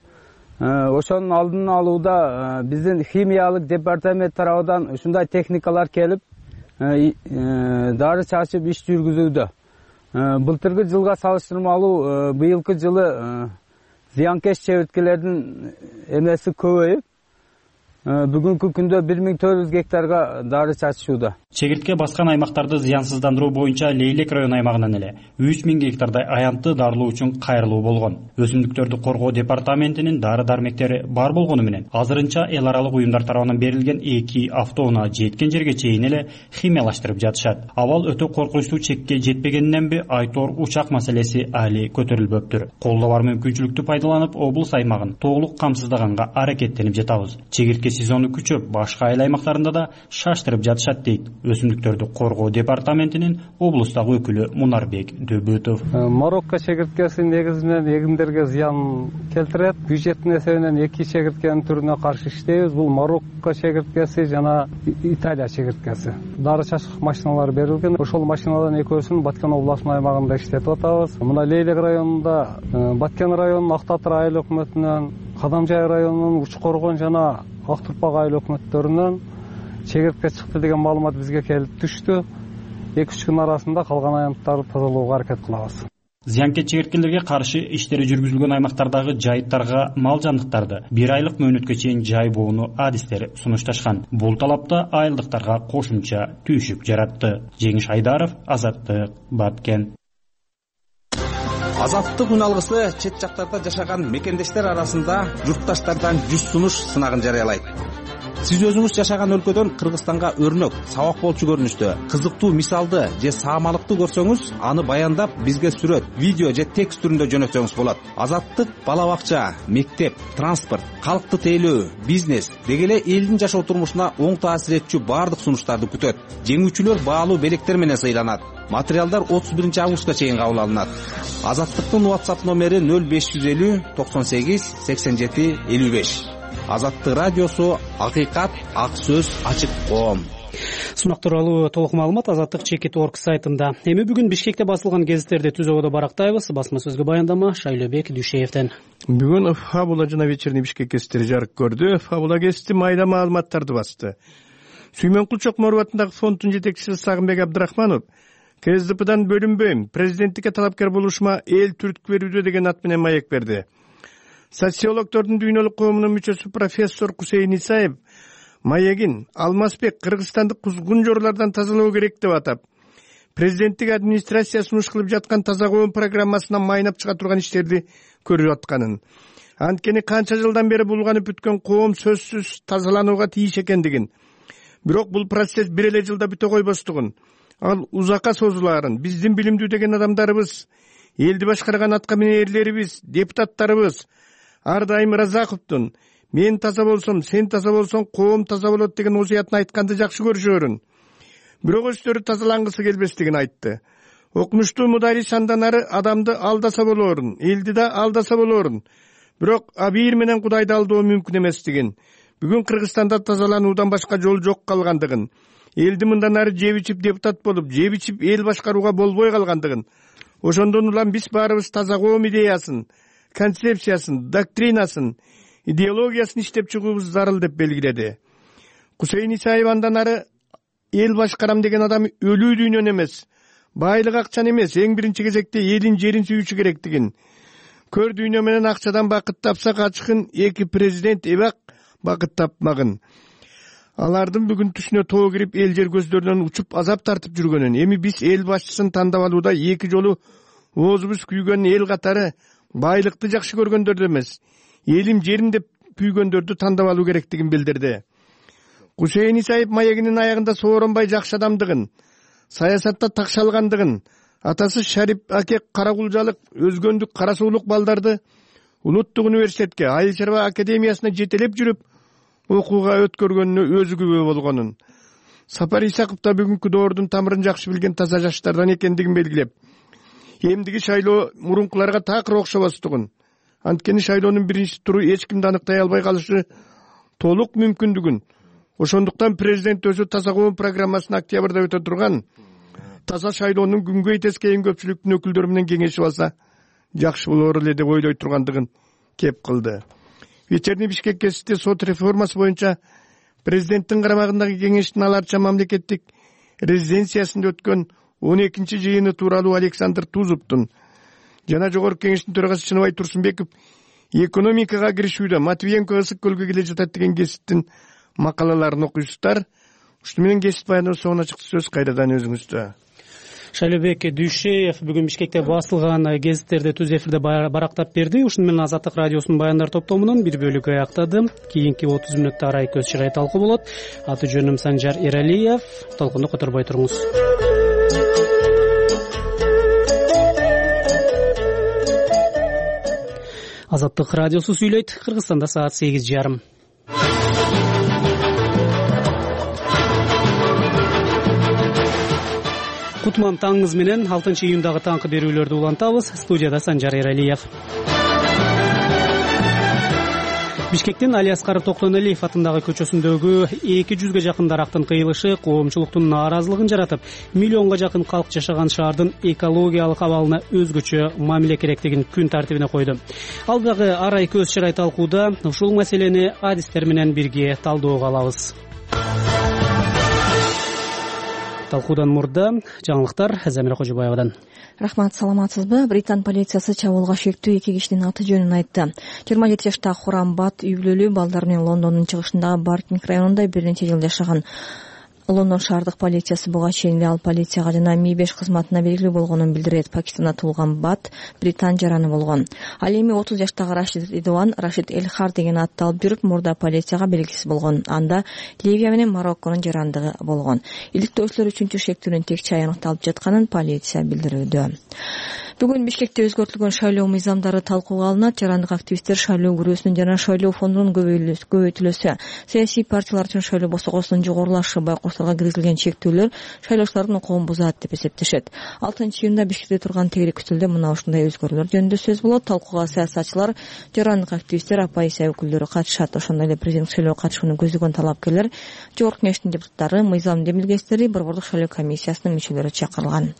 ошонун алдын алууда биздин химиялык департамент тарабынан ушундай техникалар келип, дары чачып иш жүргүзүүдө. былтыркы жылга салыштырмалуу быйылкы жылы зыянкеч чеберткелердин эмеси көбөйүп, бүгүнкү күндө 1400 гектарга дары чачышууда. Чегиртке баскан аймактарды зыянсыздандыруу боюнча Лейлек район аймагынан эле 3000 гектардай аянтты дарылоо үчүн кайрылуу болгон. Өсүмдүктөрдү коргоо департаментинин дары дармектери бар болгону менен азырынча эл аралык уюмдар тарабынан берилген 2 автоунаа жеткен жерге чейин эле химиялаштырып жатышат. Абал өтө коркунучтуу чекке жетпегениненби айтор учак маселеси али көтөрүлбөптүр. Колдо бар мүмкүнчүлүктү пайдаланып, облус аймагын толук камсыздаганга аракеттенип жатабыз. Чегиртке сезону күчөп, башка айыл аймактарында да шаштырып жатышат дейт Өсүмдүктөрдү коргоо департаментинин облустагы өкүлү Мунарбек Дөбөтов. Марокко чегирткеси негизинен эгиндерге зыян келтирет. Бюджеттин эсебинен 2 чегирткенин түрүнө каршы иштейбиз. Бул Марокко чегирткеси жана Италия чегирткеси. Дары чачкыч машиналар берилген. Ошол машиналардан экөөсүн Баткен областынын аймагында иштетип атабыз. Мына Лейлек районунда Баткен районунун Актатыр айыл өкмөтүнөн, Кадамжай районунун Учкоргон жана Актурпак айыл өкмөттөрүнөн чегиртке чыкты деген маалымат бизге келип түштү. 2-3 күн арасында калган аянттарды тазалоого аракет кылабыз. Зыянкеч чегирткелерге каршы иштери жүргүзүлгөн аймактардагы жайыттарга мал жандыктарды 1 айлык мөөнөткө чейин жайбоону адистер сунушташкан. Бул талапта айылдыктарга кошумча түйшүк жаратты. Жеңиш Айдаров, Азаттык, Баткен. Азаттык үн алгысы чет жактарда жашаган мекендештер арасында журтташтардан 100 сунуш сынагын жарыялайт. Сиз өзүңүз жашаган өлкөдөн Кыргызстанга өрнөк, сабак болчу көрүнүштө, кызыктуу мисалды же саамалыкты көрсөңүз, аны баяндап бизге сүрөт, видео же текст түрүндө жөнөтсөңүз болот. Азаттык бала бакча, мектеп, транспорт, калкты тейлөө, бизнес деги эле элдин жашоо турмушуна оң таасир этчү баардык сунуштарды күтөт. Жеңүүчүлөр баалуу белектер менен сыйланат. Материалдар 31 августка чейин кабыл алынат. Азаттыктын WhatsApp номери 0550 98 87 55. Азаттык радиосу, акыйкат, ак сөз, ачык коом. Сунак тууралуу толук маалымат azattik.org сайтында. Эми бүгүн Бишкекте басылган гезиттерди түз ободо барактайбыз. Басма сөзгө баяндама Шайлообек Дүйшеевден. Бүгүн Фабула жана Вечерний Бишкек гезиттери жарык көрдү. Фабула гезити майда маалыматтарды басты. Сүймөнкул Чокморов атындагы фонддун жетекчиси Сагынбек Абдрахманов КСДПдан бөлүнбөйм, президенттикке талапкер болушума эл түрткү берүүдө деген ат менен маек берди. Социологдордун дүйнөлүк коомунун мүчөсү профессор Кусейин Исаев маегин Алмазбек кыргызстандык кузгун жорлордон тазалоо керек деп атап, президенттик администрация сунуш кылып жаткан таза коом программасынан майнап чыга турган иштерди көрүп атканын, анткени канча жылдан бери булганып бүткөн коом сөзсүз тазаланууга тийиш экендигин, бирок бул процесс бир эле жылда бүтө койбостугун, ал узакка созулаарын, биздин билимдүү деген адамдарыбыз, элди башкарган атка минээрлерибиз, депутаттарыбыз ар дайым Разаковдун мен таза болсом, сен таза болсоң, коом таза болот деген осуятын айтканды жакшы көрүшөрүн. Бирок өздөрү тазалангысы келбестигин айтты. Окумуштуу мударис андан ары адамды алдаса болоорун, элди да алдаса болоорун. Бирок абийир менен Кудайды алдоо мүмкүн эместигин, бүгүн Кыргызстанда тазалануудан башка жол жок калгандыгын, элди мындан ары жеп ичип депутат болуп, жеп ичип эл башкарууга болбой калгандыгын, ошондон улам биз баарыбыз таза коом идеясын, концепциясын, доктринасын, идеологиясын иштеп чыгуубуз зарыл деп белгиледи. Кусейин Исаев андан ары эл башкарам деген адам өлүү дүйнөнү эмес, байлык акчаны эмес, эң биринчи кезекте элин жерин сүйүүчү керектигин, көр дүйнө менен акчадан бакыт тапсак ачкын, 2 президент эбак бакыт тапмагын. Алардын бүгүн түшүнө тоо кирип, эл жер көздөрүнөн учуп азап тартып жүргөнүн, эми биз эл башчысын тандап алууда 2 жолу оозубуз күйгөн эл катары байлыкты жакшы көргөндөрдү эмес, элим жерим деп күйгөндөрдү тандап алуу керектигин билдирди. Кусейин Исаев маегинин аягында сооронбай жакшы адамдыгын, саясатта такшалгандыгын, атасы Шарип аке каракулжалык, өзгөндүк, кара суулук балдарды улуттук университетке, айыл чарба академиясына жетелеп жүрүп окууга өткөргөнүнө өзү күбө болгонун, Сапар Исаков да бүгүнкү доордун тамырын жакшы билген таза жаштардан экендигин белгилеп, эмдиги шайлоо мурункуларга такыр окшобостугун, анткени шайлоонун биринчи туру эч кимди аныктай албай калышы толук мүмкүндүгүн, ошондуктан президент өзү таза коом программасын октябрда өтө турган таза шайлоонун күнгөй тескейин көпчүлүктүн өкүлдөрү менен кеңешип алса жакшы болор эле деп ойлой тургандыгын кеп кылды. Вечерний Бишкек гезити сот реформасы боюнча президенттин карамагындагы кеңештин аларча мамлекеттик резиденциясында өткөн 12 жыйыны тууралуу Александр Тузовдун жана Жогорку Кеңештин төрагасы Чыныбай Турсунбеков экономикага киришүүдө Матвиенко ысык көлгө келе жатат деген кесиптин макалаларын окуйсуздар. Ушуну менен кесип баяндоо соңуна чыкты. Сөз кайрадан өзүңүздө. Шайлообек Дүйшеев бүгүн Бишкекте басылган гезиттерди түз эфирде барактап берди. Ушуну менен Азаттык радиосунун баяндар топтомунун бир бөлүгү аяктады. Кийинки 30 мүнөттө арай көз чырай талкуу болот. Аты жөнүм Санжар Эралиев. Толкунду которбой туруңуз. Азаттык радиосу сүйлөйт. Кыргызстанда саат 8:30. Кутман таңыңыз менен 6 июндагы таңкы берүүлөрдү улантабыз. Студияда Санжар Эралиев. Бишкектин Али Аскаров Токтоналиев атындагы көчөсүндөгү 200ге жакын дарактын кыйылышы коомчулуктун нааразылыгын жаратып, миллионго жакын калк жашаган шаардын экологиялык абалына өзгөчө мамиле керектигин күн тартибине койду. Ал дагы арай көз чырай талкууда ушул маселени адистер менен бирге талдөөгө алабыз. Талкуудан мурда жаңылыктар Замира Кожобаевадан. Рахмат, саламатсызбы? Британ полициясы чабуулга шектүү 2 кишинин аты жөнүн айтты. 27 жаштагы Хурамбат үй бүлөлүү балдар менен Лондондун чыгышындагы Бартинг районунда бир нече жыл жашаган. Лондон шаардык полициясы буга чейин ал полицияга жана Mi5 кызматына белгилүү болгонун билдирет. Пакистанда туулган Бат Британ жараны болгон. Ал эми 30 жаштагы Рашид Элхар деген атты алып жүрүп, мурда полицияга белгисиз болгон. Анда Ливия менен Марокконун жарандыгы болгон. Иликтөөчүлөр үчүнчү шектүүнүн текче аянкталып жатканын полиция билдирүүдө. Бүгүн Бишкекте өзгөртүлгөн шайлоо мыйзамдары талкууга алынат. Жарандык активисттер шайлоо күрөөсүнүн жана шайлоо фондунун көбөйтүлөсү, саясий партиялар үчүн шайлоо босогосунун жогорулашы, байкошторго киргизилген чектөөлөр шайлоочулардын укугун бузат деп эсептешет. 6 июнда Бишкекте турган тегерек үстөлдө мына ушундай өзгөрүүлөр жөнүндө сөз болот. Талкууга саясатчылар, жарандык активисттер, оппозиция өкүлдөрү катышат. Ошондой эле президенттик шайлоого катышууну көздөгөн талапкерлер, Жогорку Кеңештин депутаттары, мыйзам демилгечтери, Борбордук шайлоо комиссиясынын мүчөлөрү чакырылган.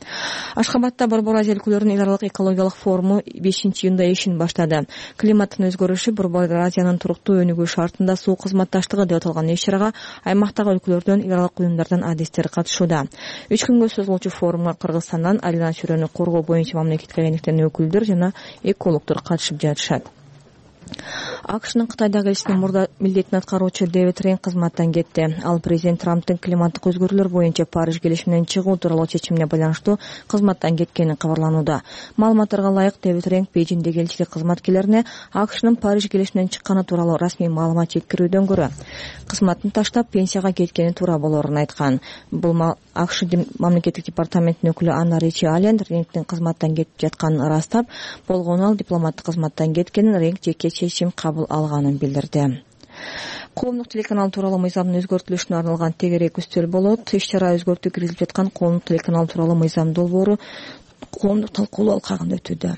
Ашхабадда Борбор Азия өлкөлөрүнүн эл аралык экологиялык форуму 5 июнда ишин баштады. Климаттын өзгөрүшү Борбор Азиянын туруктуу өнүгүү шартында суу кызматташтыгы деп аталган иш-чарага аймактагы өлкөлөрдөн, эл аралык уюмдардан адистер катышууда. 3 күнгө созулуучу форумга Кыргызстандан айлана чөйрөнү коргоо боюнча мамлекеттик агенттиктин өкүлдөрү жана экологдор катышып жатышат. АКШнын Кытайдагы элчисинин мурда милдетин аткаруучу Дэвид Рейн кызматтан кетти. Ал президент Трамптын климаттык өзгөрүүлөр боюнча Париж келишиминен чыгуу тууралуу чечимине байланыштуу кызматтан кеткени кабарланууда. Маалыматтарга ылайык, Дэвид Рейн Бейжиңдеги элчилик кызматкерлерине АКШнын Париж келишиминен чыкканы тууралуу расмий маалымат жеткирүүдөн көрө кызматын таштап пенсияга кеткени туура болоорун айткан. Бул АКШ мамлекеттик департаментинин өкүлү Анна Ричи Аллен Рейнгдин кызматтан кетип жатканын ырастап, болгону ал дипломаттык кызматтан кеткенин, Рейнг жеке чечим кабыл алганын билдирди. Коомдук телеканал тууралуу мыйзамдын өзгөртүлүшүнө арналган тегерек үстөл болот. Иш-чара өзгөртүү киргизилип жаткан коомдук телеканал тууралуу мыйзам долбоору коомдук талкуулоо алкагында өтүүдө.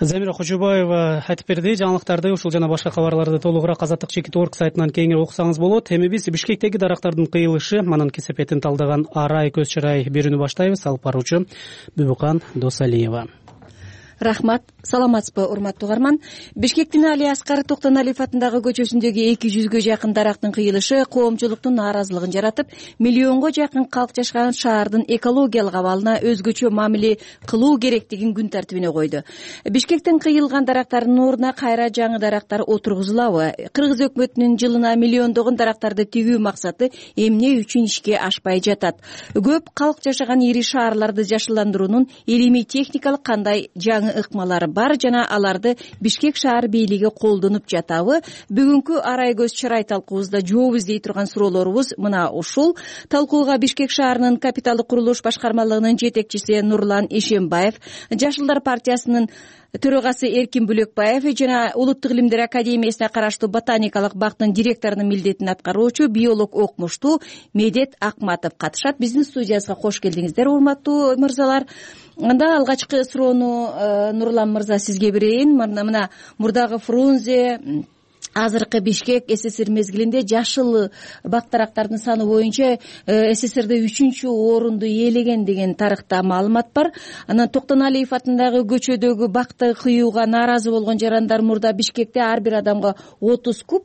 Замира Кожобаева айтып берди. Жаңылыктарды ушул жана башка кабарларды толугураак Азаттык.org сайтынан кеңири окусаңыз болот. Эми биз Бишкектеги дарактардын кыйылышы, анын кесепетин талдаган арай көз чырай берүүнү баштайбыз. Алып баруучу Бүбүкан Досалиева. Рахмат, саламатсызбы, урматтуу угарман. Бишкектин Али Аскаров Токтоналиев атындагы көчөсүндөгү 200ге жакын дарактын кыйылышы коомчулуктун нааразылыгын жаратып, миллионго жакын калк жашаган шаардын экологиялык абалына өзгөчө мамиле кылуу керектигин күн тартибине койду. Бишкектен кыйылган дарактардын ордуна кайра жаңы дарактар отургузулабы? Кыргыз өкмөтүнүн жылына миллиондогон дарактарды тигүү максаты эмне үчүн ишке ашпай жатат? Көп калк жашаган ири шаарларды жашылдандыруунун илимий техникалык кандай жаңы ыкмалары бар жана аларды Бишкек шаар бийлиги колдонуп жатабы? Бүгүнкү арай көз чырай талкуубузда жооп издей турган суроолорубуз мына ушул. Талкууга Бишкек шаарынын капиталдык курулуш башкармалыгынын жетекчиси Нурлан Ишембаев, Жашылдар партиясынын төрөгасы Эркин Бөлөкбаев жана Улуттук илимдер академиясына караштуу ботаникалык бактын директорунун милдетин аткаруучу биолог окумуштуу Медет Акматов катышат. Биздин студиябызга кош келдиңиздер, урматтуу мырзалар. Анда алгачкы суроону Нурлан мырза сизге берейин. Мына мурдагы Фрунзе азыркы Бишкек СССР мезгилинде жашыл бактарактардын саны боюнча СССРде 3-чү орунду ээлеген деген тарыхта маалымат бар. Анан Токтоналиев атындагы көчөдөгү бакты кыюуга нааразы болгон жарандар мурда Бишкекте ар бир адамга 30 куб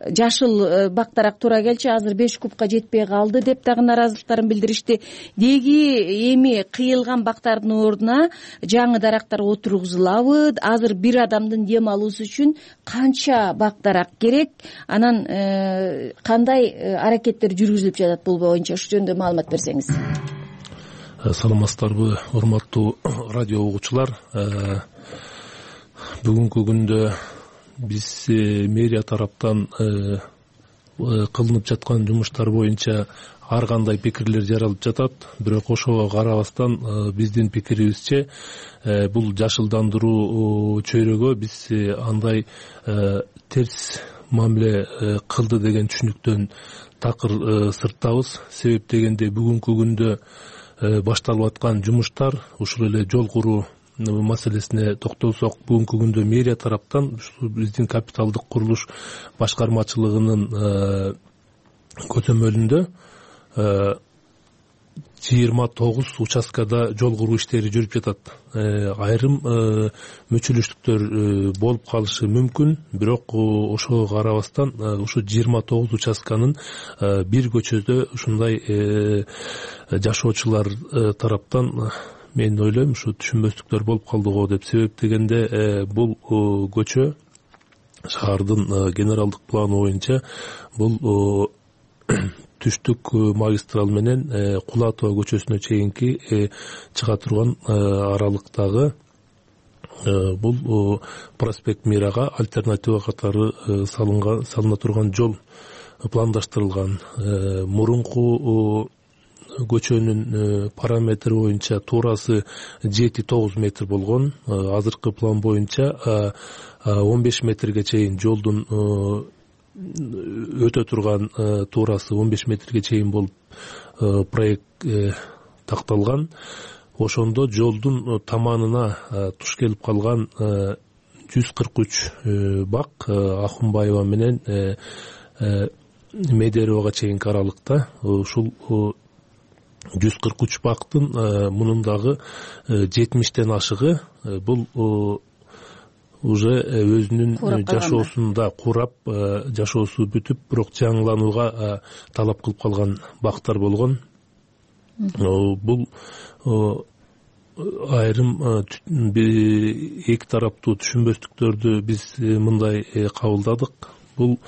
жашыл бактарак туура келчү, азыр 5 кубка жетпей калды деп дагы нааразылыктарын билдиришти. Деги эми кыйылган бактардын ордуна жаңы дарактар отургузулабы? Азыр бир адамдын дем алуусу үчүн канча бактарак керек? Анан кандай аракеттер жүргүзүлүп жатат бул боюнча? Ушул жөнүндө маалымат берсеңиз. Саламатсыздарбы, урматтуу радио угуучулар. Бүгүнкү күндө биз мэрия тараптан кылынып жаткан жумуштар боюнча ар кандай пикирлер жаралып жатат. Бирок ошого карабастан биздин пикирибизче бул жашылдандыруу чөйрөгө биз андай терс мамиле кылды деген түшүнүктөн такыр сырттабыз. Себеп дегенде бүгүнкү күндө башталып аткан жумуштар, ушул эле жол куруу маселесине токтолсок, бүгүнкү күндө мэрия тараптан биздин капиталдык курулуш башкармачылыгынын көзөмөлүндө 29 участкада жол куруу иштери жүрүп жатат. Айрым мөчөлөштүктөр болуп калышы мүмкүн, бирок ошого карабастан ушу 29 участканын бир көчөдө ушундай жашоочулар тараптан мен ойлойм ушу түшүнбөстүктөр болуп калды го деп. Себеп дегенде бул көчө шаардын генералдык планы боюнча бул түштүк магистрал менен Кулатова көчөсүнө чейинки чыга турган аралыктагы бул проспект Мирага альтернатива катары салына турган жол пландаштырылган. Мурунку көчөнүн параметри боюнча туурасы 7-9 метр болгон. Азыркы план боюнча 15 метрге чейин жолдун өтө турган туурасы 15 метрге чейин болуп проект такталган. Ошондо жолдун таманына туш келип калган 143 бак Ахунбаева менен Медеровага чейинки аралыкта. Ушул 143 бактын мунун дагы 70тен ашыгы бул уже өзүнүн жашоосунда курап, жашоосу бүтүп, бирок жаңыланууга талап кылып калган бактар болгон. Бул айрым эки тараптуу түшүнбөстүктөрдү биз мындай кабылдадык. Бул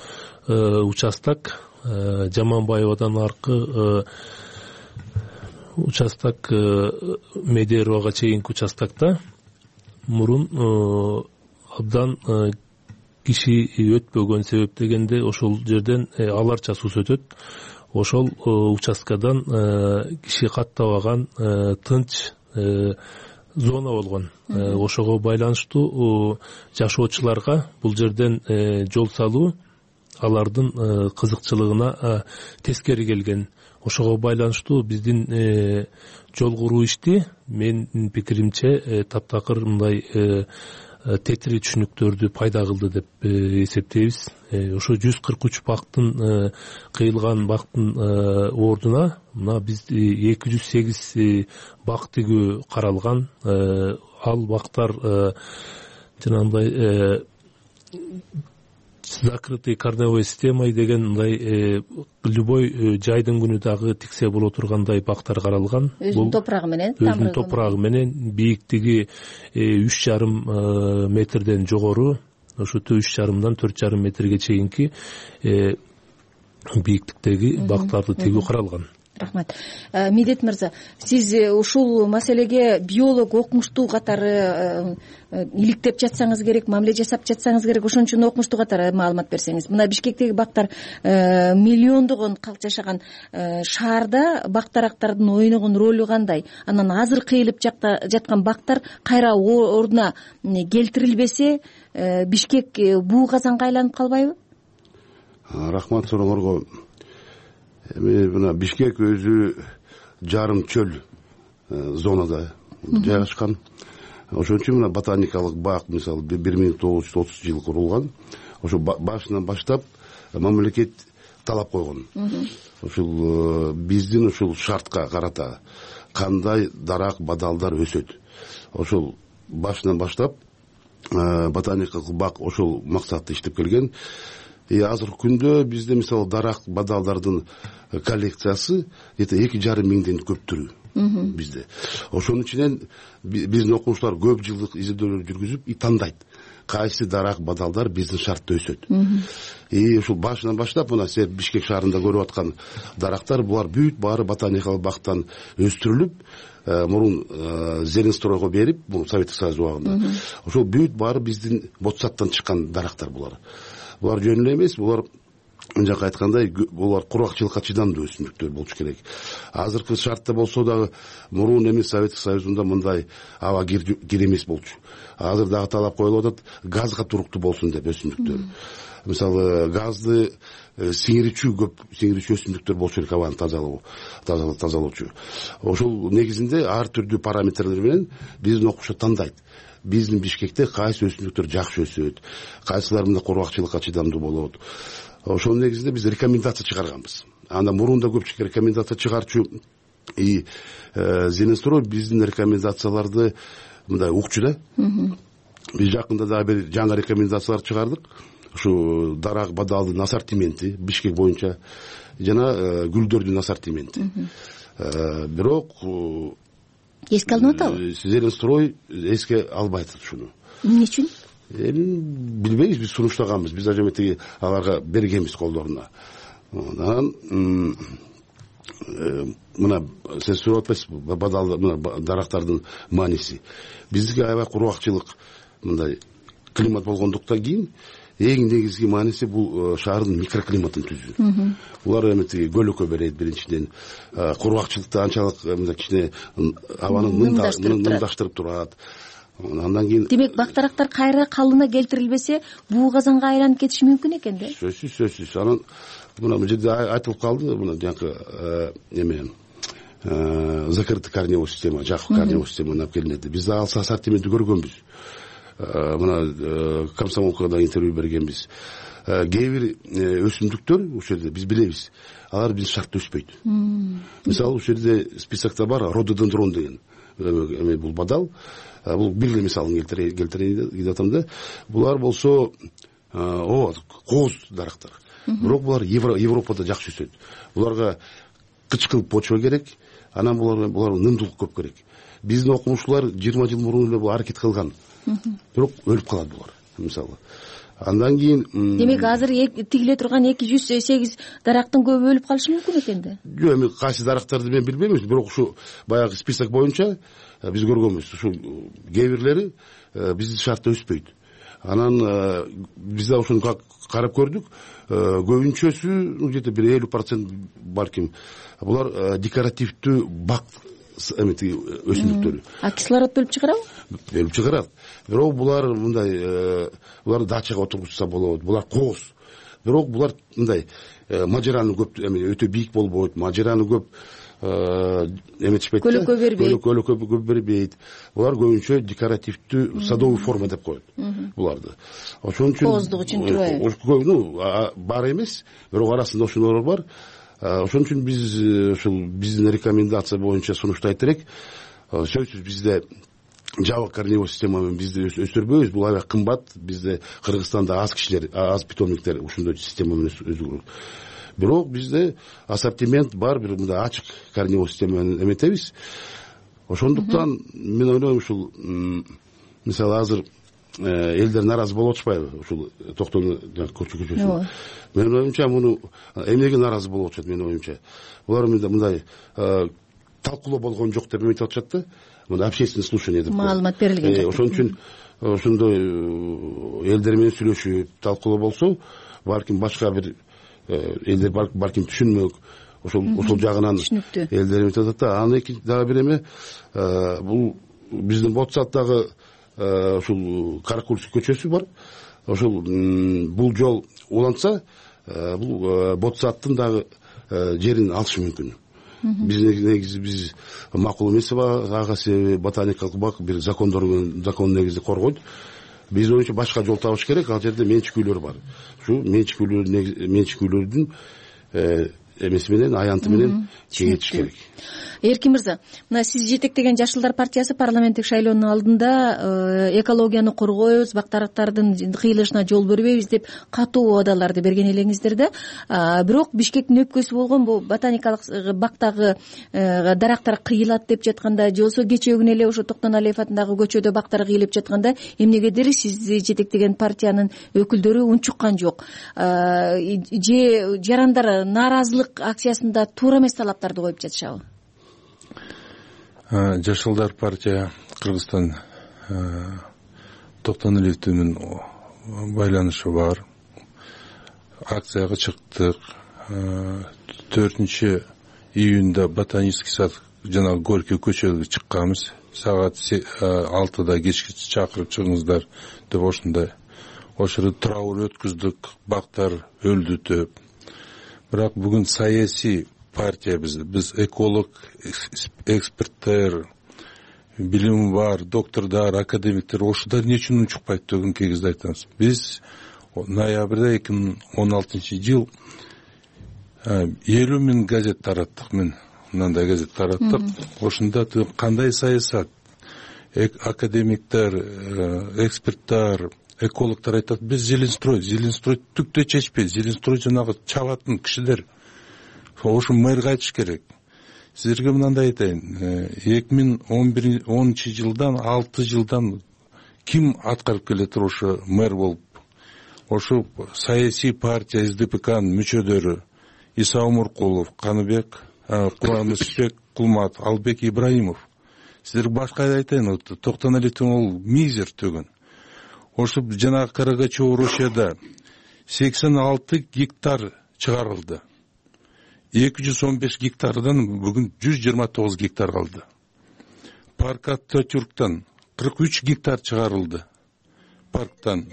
участок Жаманбаевадан аркы участок Медеровага чейинки участокто мурун абдан киши өтпөгөн. Себеп дегенде ошол жерден аларча суу өтөт. Ошол участкадан киши каттабаган тынч зона болгон. Ошого байланыштуу жашоочуларга бул жерден жол салуу алардын кызыкчылыгына тескери келген. Ошого байланыштуу биздин жол куруу ишти менин пикиримче таптакыр мындай тетири түшүнүктөрдү пайда кылды деп эсептейбиз. Ошо 143 бактын кыйылган бактын ордуна мына биз 208 бак тигүү каралган. Ал бактар жанагындай закрытый корневой системой деген мындай любой жайдын күнү дагы тиксе боло тургандай бактар каралган. Өзүнүн топурагы менен, өзүнүн топурагы менен бийиктиги 3,5 метрден жогору, ошо 3,5-дан 4,5 метрге чейинки бийиктиктеги бактарды тигүү каралган. Рахмат. Медет мырза, сиз ушул маселеге биолог окумуштуу катары иликтеп жатсаңыз керек, мамиле жасап жатсаңыз керек, ошон үчүн окумуштуу катары маалымат берсеңиз. Мына Бишкектеги бактар миллиондогон калк жашаган шаарда бактарактардын ойногон ролу кандай? Анан азыр кыйылып жаткан бактар кайра ордуна келтирилбесе, Бишкек буу казанга айланып калбайбы? Рахмат сурооңорго. Мына Бишкек өзү жарым чөл зонада жайгашкан. ошон үчүн мына ботаникалык бак мисалы 1930 курулган. Ошо башынан баштап мамлекет талап койгон. Ушул биздин ушул шартка карата кандай дарак бадалдар өсөт. Ошол башынан баштап ботаникалык бак ошол максатта иштеп келген. Азыркы күндө бизде мисалы дарак бадалдардын коллекциясы 2,5 миңден көп түрү бизде. Ошонун ичинен биздин окумуштуулар көп жылдык изилдөөлөр жүргүзүп тандайт кайсы дарак бадалдар биздин шартта өсөт. Ушул башынан баштап мына сиз Бишкек шаарында көрүп аткан дарактар булар бүт баары ботаникалык бактан өстүрүлүп, мурун Зеленстройго берип, бул Советтик Союз убагында. Ошол бүт баары биздин Ботсаттан чыккан дарактар булар. Булар жөн эле эмес, булар жака айткандай, булар кургакчылыкка чыдамдуу өсүмдүктөр болушу керек. Азыркы шартта болсо дагы мурун эмес Советтик Союзунда мындай аба кир эмес болчу. Азыр дагы талап коюлуп атат, газга туруктуу болсун деп өсүмдүктөр. Мисалы газды сиңирүүчү өсүмдүктөр болушу керек, абаны тазалоочу. Ошол негизинде ар түрдүү параметрлер менен биздин окуучу тандайт. Биздин Бишкекте кайсы өсүмдүктөр жакшы өсөт, кайсылар мындай кургакчылыкка чыдамдуу болот. Ошонун негизинде биз рекомендация чыгарганбыз. Анда мурунда көпчүлүк рекомендация чыгарчу Зеленстрой биздин рекомендацияларды мындай укчу да. Биз жакында дагы бир жаңы рекомендациялар чыгардык. Ушу дарак бадалдын ассортименти Бишкек боюнча жана гүлдөрдүн ассортименти. Бирок эске алынып атабы? Зеленстрой эске албайт ушуну. Эмне үчүн? Билбейбиз, биз сунуштаганбыз, биз ажа эметиги аларга бергенбиз колдоруна. Анан мына сиз сурап атпайсызбы, бадал дарактардын мааниси. Биздики аябай кургакчылык мындай климат болгондуктан кийин эң негизги мааниси бул шаардын микроклиматын түзүү. Булар эметиги көлөкө берет биринчиден, кургакчылыкты анчалык мындай кичине абаны нымдаштырып турат. Андан кийин демек бактарактар кайра калыбына келтирилбесе буу казанга айланып кетиши мүмкүн экен да? Сөзсүз. Анан мына бул жерде айтылып калды, мына жанакы эме закрытый корневой система, жакып корневой системаны алып келинет. Биз дагы ассортиментти көргөнбүз. Мына комсомолкада интервью бергенбиз. Кээ бир өсүмдүктөр ушул жерде биз билебиз, алар биздин шартта өспөйт. Мисалы ушул жерде списокто бар рододендрон деген бул бадал. Бул бир эле мисалын келтирейин деп атам да. Булар болсо кооз дарактар. Бирок булар Европада жакшы өсөт. Буларга кычкыл почва керек, анан буларга нымдуулук көп керек. Биздин окумуштуулар 20 жыл мурун эле бул аракет кылган. Бирок өлүп калат булар, мисалы. Андан кийин демек азыр тигиле турган 208 дарактын көбү өлүп калышы мүмкүн экен да? Жок, эми кайсы дарактарды мен билбейм, бирок ушу баягы список боюнча биз көргөнбүз. Ушул кээ бирлери биздин шартта өспөйт. Анан биз да ошону карап көрдүк. Көбүнчөсү где-то бир 50% балким булар декоративдүү бак эметиги өсүмдүктөр. Кислород бөлүп чыгарабы? Бөлүп чыгарат. Бирок булар мындай булар дачага отургузса болот. Булар кооз. Бирок булар мындай мажараны көп өтө бийик болбойт. Мажараны көп эметишпейт. Көлөкө бербейт. Булар көбүнчө декоративдүү садовый форма деп коет буларды. Ошон үчүн кооздук үчүн турбайбы? Бар эмес, бирок арасында ошолор бар. Ошон үчүн биз ушул биздин рекомендация боюнча сунуштайт элек. Сөзсүз бизде жабык корневой система менен бизди өстүрбөйбүз. Бул аябай кымбат. Бизде Кыргызстанда аз кишилер, аз питомниктер ушундай система менен өсүрөт. Бирок бизде ассортимент бар, бир мындай ачык корневой система менен эметебиз. Ошондуктан мен ойлойм ушул мисалы азыр элдер нааразы болуп атышпайбы ушул токтону көчөсү. Менин оюмча муну эмнеге нааразы болуп атышат менин оюмча. Булар мындай талкуулоо болгон жок деп эметип атышат да. Мындай общественный слушание деп маалымат берилген жок. Ошон үчүн ошондой элдер менен сүйлөшүп талкуулоо болсо, балким башка бир элдер балким түшүнмөк, ошол жагынан элдер эметип атат да. Анан экинчи дагы бир эме, бул биздин Ботсаттагы ушул Каракульский көчөсү бар. Ошол бул жол уланса, бул Ботсаттын дагы жерин алышы мүмкүн. биз негизи биз макул эмес ага себеби ботаникалык бак бир закон негизинде коргойт. Биз оюнча башка жол табыш керек. Ал жерде менчикүүлөр бар. Ушу менчикүүлөрдүн эмеси менен аянты менен кеңейтиш керек. Эркин мырза, мына сиз жетектеген Жашылдар партиясы парламенттик шайлоонун алдында экологияны коргойбуз, бактарактардын кыйылышына жол бербейбиз деп катуу убадаларды берген элеңиздер да. Бирок Бишкектин өпкөсү болгон бул ботаникалык бактагы дарактар кыйылат деп жатканда, же болбосо кечээ күнү эле ошо Токтоналиев атындагы көчөдө бактар кыйылып жатканда эмнегедир сизди жетектеген партиянын өкүлдөрү унчуккан жок, же жарандар нааразылык акциясында туура эмес талаптарды коюп жатышабы? Жашылдар партия Кыргызстан Токтоналиев менен байланышы бар. Акцияга чыктык. 4 июнда ботанический сад жана Горький көчөгө чыкканбыз. Саат 6да кечки чакырып чыгыңыздар деп ошондой. Ошол траур өткүздүк, бактар өлдү деп. Бирок бүгүн саясий партия биз эколог, эксперттер, билими бар, доктордор, академиктер ошолор эмне үчүн унчукпайт деген кезде айтабыз. Биз ноябрда 2016-жыл 50 000 газет тараттык. Мен мындай газет тараттык. Ошондо кандай саясат, академиктер, эксперттер, экологдор айтат, биз Зеленстрой түктө чечпейт. Зеленстрой жанагы чабатын кишилер. Ошо мэрге айтыш керек. Силерге мындай айтайын. 2010-жылдан 6 жылдан ким аткарып келет ошо мэр болуп? Ошо саясий партия СДПКнын мүчөлөрү Иса Омуркулов, Каныбек, Курамысбек Кулмат, Албек Ибраимов. Силерге башка айтайын, Токтоналиевдин ол мизер төгөн. Ошо жанагы Карагачево Русияда 86 гектар чыгарылды. 215 гектардан бүгүн 129 гектар калды. Парк Ататюрктан 43 гектар чыгарылды. Парктан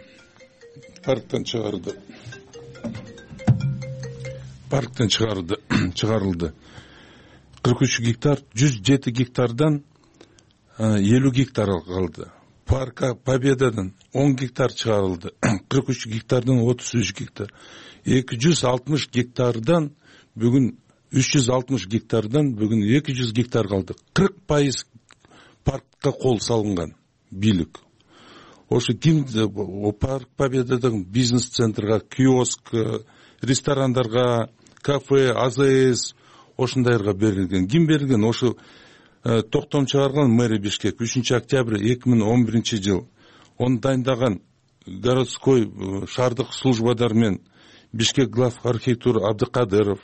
чыгарылды. 43 гектар, 107 гектардан 50 гектар калды. Парка Победадан 10 гектар чыгарылды. 43 гектардан 33 гектар. 260 гектардан бүгүн 360 гектардан бүгүн 200 гектар калды. 40% паркка кол салынган бийлик. Ошо ким парк Победадагы бизнес центрга, киоск, ресторандарга, кафе, АЗС ошондайларга берилген. Ким берилген? Ошо токтом чыгарган мэр Бишкек 3 октябрь 2011-жыл. Оны дайындаган городской шаардык службадар менен Бишкек глав архитектура Абдыкадыров,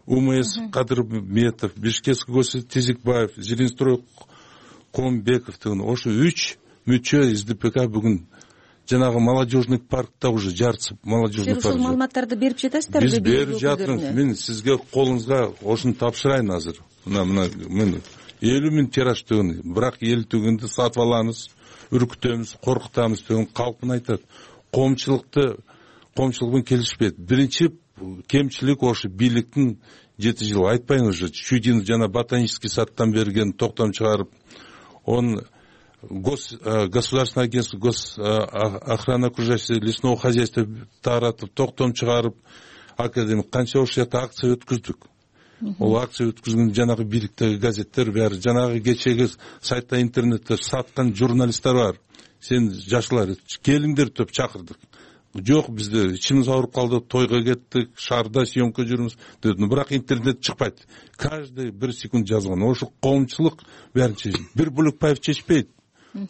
УМС Кадырметов, Бишкекский госсовет Тизикбаев, Зеленстрой Комбеков деген ошо 3 мүчө СДПК бүгүн жанагы молодежный паркта уже жарысып молодежный парк. Ушул маалыматтарды берип жатасыздарбы? Биз берип жатырмыз. Мен сизге колуңузга ошону тапшырайын азыр. Мына мен 50 000 тираж деген, бирок эл түгүндө сатып алабыз, үркүтөбүз, коркутабыз деген калкын айтат. Коомчулук менен келишпейт. Биринчи кемчилик ошо бийликтин 7 жыл айтпайын уже Чудин жана ботанический садтан берген токтом чыгарып, он государственное агентство охраны окружающего лесного хозяйства таратып, токтом чыгарып, академик канча ошол жакта акция өткүздүк. Ол акция өткүзгөн жанагы бийликтеги газеттер баары, жанагы кечеги сайтта интернетте саткан журналисттер бар. Сен жашлар келиңдер деп чакырдык. Жок, бизде ичimiz ауырып калды, тойго кеттик, шаарда съемка жүрүбүз дедим. Бирок интернет чыкпайт. Каждый 1 секунд жазган. Ошо коомчулук баарын чечет. Бир Булукбаев чечпейт.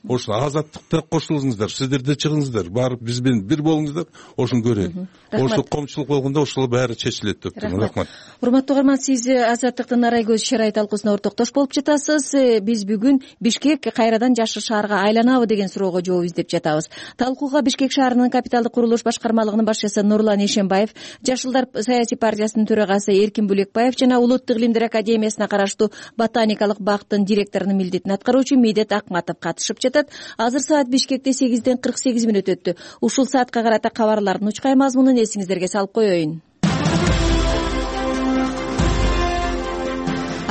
Ошо азаттыкта кошулуңуздар, сиздер да чыгыңыздар, барып биз менен бир болуңуздар, ошону көрөйүн. Ошо коомчулук болгондо ошол баары чечилет деп турмун. Рахмат. Урматтуу угарман, сиз Азаттыктын Арай көз шарай талкуусуна ортоктош болуп жатасыз. Биз бүгүн Бишкек кайрадан жашыл шаарга айланабы деген суроого жооп издеп жатабыз. Талкууга Бишкек шаарынын капиталдык курулуш башкармалыгынын башчысы Нурлан Эшенбаев, Жашылдар саясий партиясынын төрагасы Эркин Булекбаев жана Улуттук илимдер академиясына караштуу ботаникалык бактын директорунун милдетин аткаруучу Медет Акматов катышып жатат. Азыр саат Бишкекте 8ден 48 мүнөт өттү. Ушул саатка карата кабарлардын учкай мазмунун эсиңиздерге салып коеюн.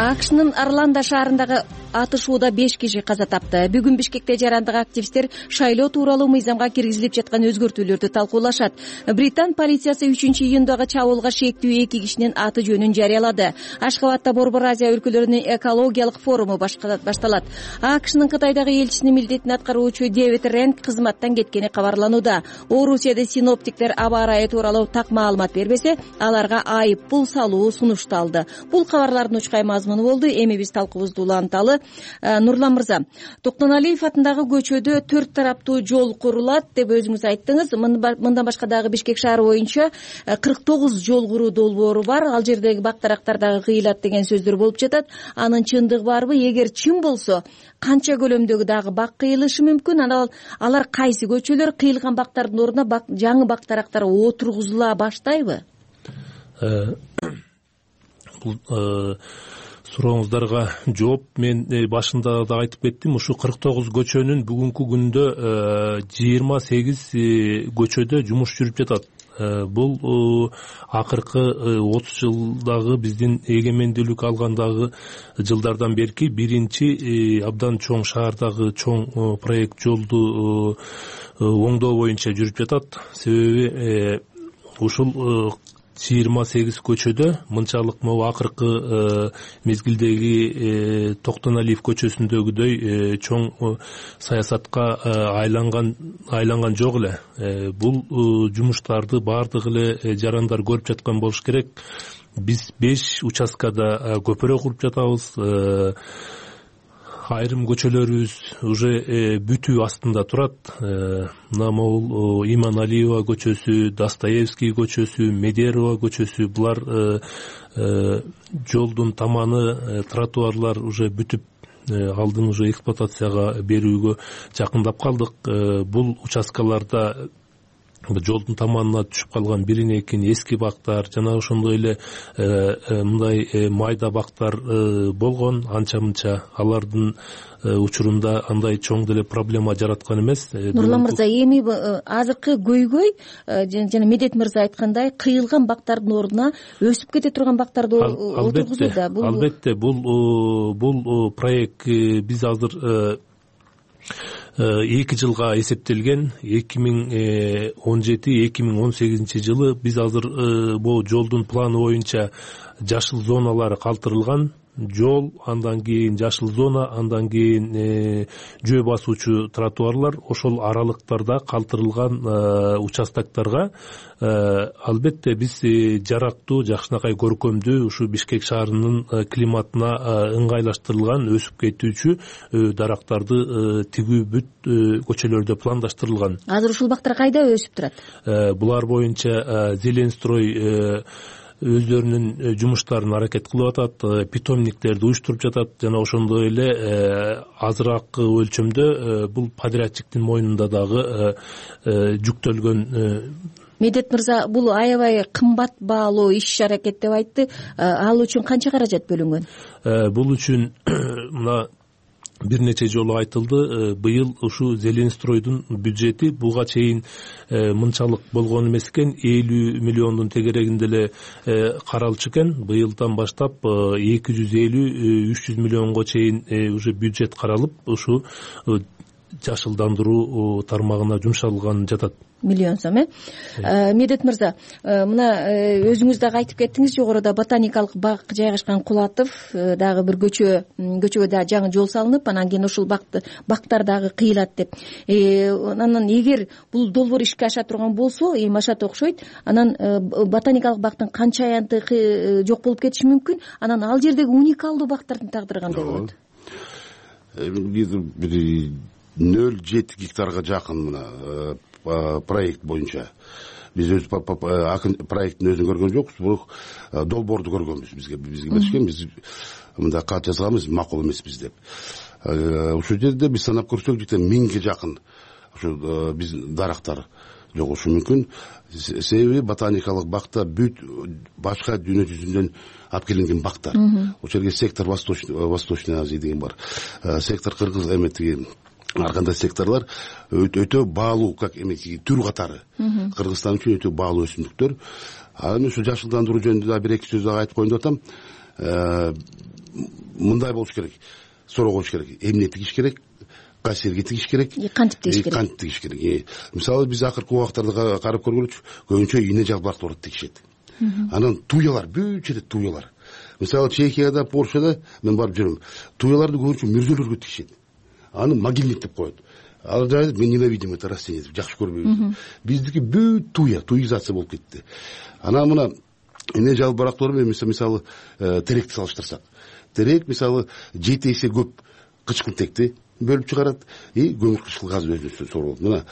АКШнын Орландо шаарындагы атышууда 5 киши каза тапты. Бүгүн Бишкекте жарандык активисттер шайлоо тууралуу мыйзамга киргизилип жаткан өзгөртүүлөрдү талкуулашат. Британ полициясы 3-июндагы чабуулга шектүү 2 кишинин аты жөнүн жарыялады. Ашхабадда Борбор Азия өлкөлөрүнүн экологиялык форуму башталат. АКШнын Кытайдагы элчисинин милдетин аткаруучу Дэвид Ренк кызматтан кеткени кабарланууда. Орусияда синоптиктер аба ырайы тууралуу так маалымат бербесе, аларга айып пул салуу сунушталды. Бул кабарлардын учкай мазмуну болду. Эми биз талкуубузду уланталы. Нурлан мырза, Токтоналиев атындагы көчөдө 4 тараптуу жол курулат деп өзүңүз айттыңыз. Мындан башка дагы Бишкек шаары боюнча 49 жол куруу долбоору бар. Ал жердеги бак дарактар дагы кыйылат деген сөздөр болуп жатат. Анын чындыгы барбы? Эгер чын болсо, канча көлөмдөгү дагы бак кыйылышы мүмкүн? Алар кайсы көчөлөр? Кыйылган бактардын ордуна жаңы бак дарактар отургузула баштайбы? Бул сурооңуздарга жооп мен башында да айтып кеттим. Ушу 49 көчөнүн бүгүнкү күндө 28 көчөдө жумуш жүрүп жатат. Бул акыркы 30 жылдагы биздин эгемендүүлүк алгандагы жылдардан берки биринчи абдан чоң шаардагы чоң проект жолду оңдоо боюнча жүрүп жатат. Себеби ушул 28 көчөдө мынчалык могу акыркы мезгилдеги Токтоналиев көчөсүндөгүдөй чоң саясатка айланган жок эле. Бул жумуштарды баардык эле жарандар көрүп жаткан болуш керек. Биз 5 участкада көпүрө куруп жатабыз. Айрым көчөлөрүбүз уже бүтүү астында турат. Мына могул Иманалиева көчөсү, Достоевский көчөсү, Медерова көчөсү, булар жолдун таманы, тротуарлар уже бүтүп, алдын уже эксплуатацияга берүүгө жакындап калдык. Бул участкаларда жолдун таманына түшүп калган бирин экин эски бактар жана ошондой эле мындай майда бактар болгон анча мынча. Алардын учурунда андай чоң деле проблема жараткан эмес. Нурлан мырза, эми азыркы көйгөй жана Медет мырза айткандай кыйылган бактардын ордуна өсүп кете турган бактарды отургузууда. Албетте бул проект биз азыр 2 жылга эсептелген. 2017-2018 жылы биз азыр бул жолдун планы боюнча жашыл зоналары калтырылган. Жол, андан кийин жашыл зона, андан кийин жөө басуучу тротуарлар, ошол аралыктарда калтырылган участоктарга албетте биз жарактуу, жакшынакай көркөмдүү, ушу Бишкек шаарынын климатына ыңгайлаштырылган өсүп кетүүчү дарактарды тигүү бүт көчөлөрдө пландаштырылган. Азыр ушул бактар кайда өсүп турат? Булар боюнча Зеленстрой өздөрүнүн жумуштарын аракет кылып атат, питомниктерди уюштуруп жатат жана ошондой эле азыраак өлчөмдө бул подрядчиктин мойнунда дагы жүктөлгөн. Медет мырза, бул аябай кымбат баалуу иш-аракет деп айтты. Ал үчүн канча каражат бөлүнгөн? Бул үчүн мына бир нече жолу айтылды. Быйыл ушу Зеленстройдун бюджети буга чейин мынчалык болгон эмес экен. 50 миллиондун тегерегинде эле каралчу экен. Быйылдан баштап 250-300 миллионго чейин уже бюджет каралып, ушу жашылдандыруу тармагына жумшалган жатат. Миллион сом, Медет мырза, мына өзүңүз дагы айтып кеттиңиз, жогоруда ботаникалык бак жайгашкан Кулатов дагы бир көчөгө дагы жаңы жол салынып, анан кийин ушул бактар дагы кыйылат деп. Анан эгер бул долбоор ишке аша турган болсо, эми ашат окшойт, анан ботаникалык бактын канча аянты жок болуп кетиши мүмкүн. Анан ал жердеги уникалдуу бактардын тагдыры кандай болот? 0,7 гектарга жакын мына проект боюнча биз өз проекттин өзүн көргөн жокпуз, бирок долбоорду көргөнбүз. Бизге беришкен, биз мындай кат жазганбыз, макул эмеспиз деп. Ушул жерде биз санап көрсөк, 1000ге жакын ушу биз дарактар жогушу мүмкүн. Себеби ботаникалык бакта бүт башка дүйнө жүзүнөн алып келинген бактар. Ошол жерге сектор Восточной Азия деген бар. Сектор Кыргыз эметиги ар кандай секторлар өтө баалуу, как эметиги түр катары. Кыргызстан үчүн өтө баалуу өсүмдүктөр. Анан ушу жашылдандыруу жөнүндө да бир эки сөз дагы айтып коеюн деп атам. мындай болуш керек, суроо коюш керек, эмне тигиш керек, кайсы жерге тигиш керек, кантип тигиш керек, кантип тигиш керек. Мисалы биз акыркы убактарда карап көргөнчү көбүнчө ийне жалбырактуу барып тигишет. Анан туялар, бүт жерде туялар. Мисалы Чехияда, Польшада мен барып жүрөм. Туяларды көбүнчө мүрзөлөргө тигишет. Аны могильник деп коет. Ал жайда мен ненавидим это растение, жакшы көрбөйм. Биздики бүт туизация болуп кетти. Анан мына ийне жалбырактуулар менен мисалы теректи салыштырсак, терек мисалы 7 эсе көп кычкылтекти бөлүп чыгарат и көмүр кычкыл газ өзүнө сорулат. Мына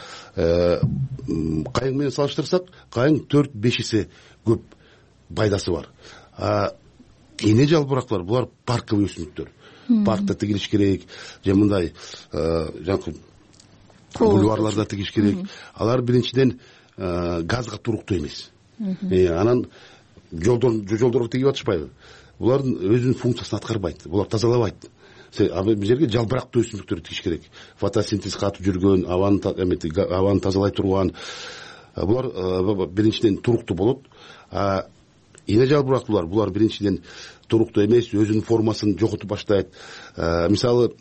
кайың менен салыштырсак, кайың 4-5 эсе көп пайдасы бар. Ийне жалбырактуулар булар парковый өсүмдүктөр. Паркта тигилиш керек, же мындай жанакы бульварларда тигиш керек. Алар биринчиден газга туруктуу эмес. Анан жолдорго тигип атышпайбы? Булардын өзүнүн функциясын аткарбайт. Булар тазалабайт. Бул жерге жалбырактуу өсүмдүктөрдү тигиш керек. Фотосинтез катып жүргөн, абаны тазалай турган. Булар биринчиден туруктуу болот. Ийне жалбырактуулар булар биринчиден туруктуу эмес, өзүнүн формасын жоготуп баштайт. Мисалы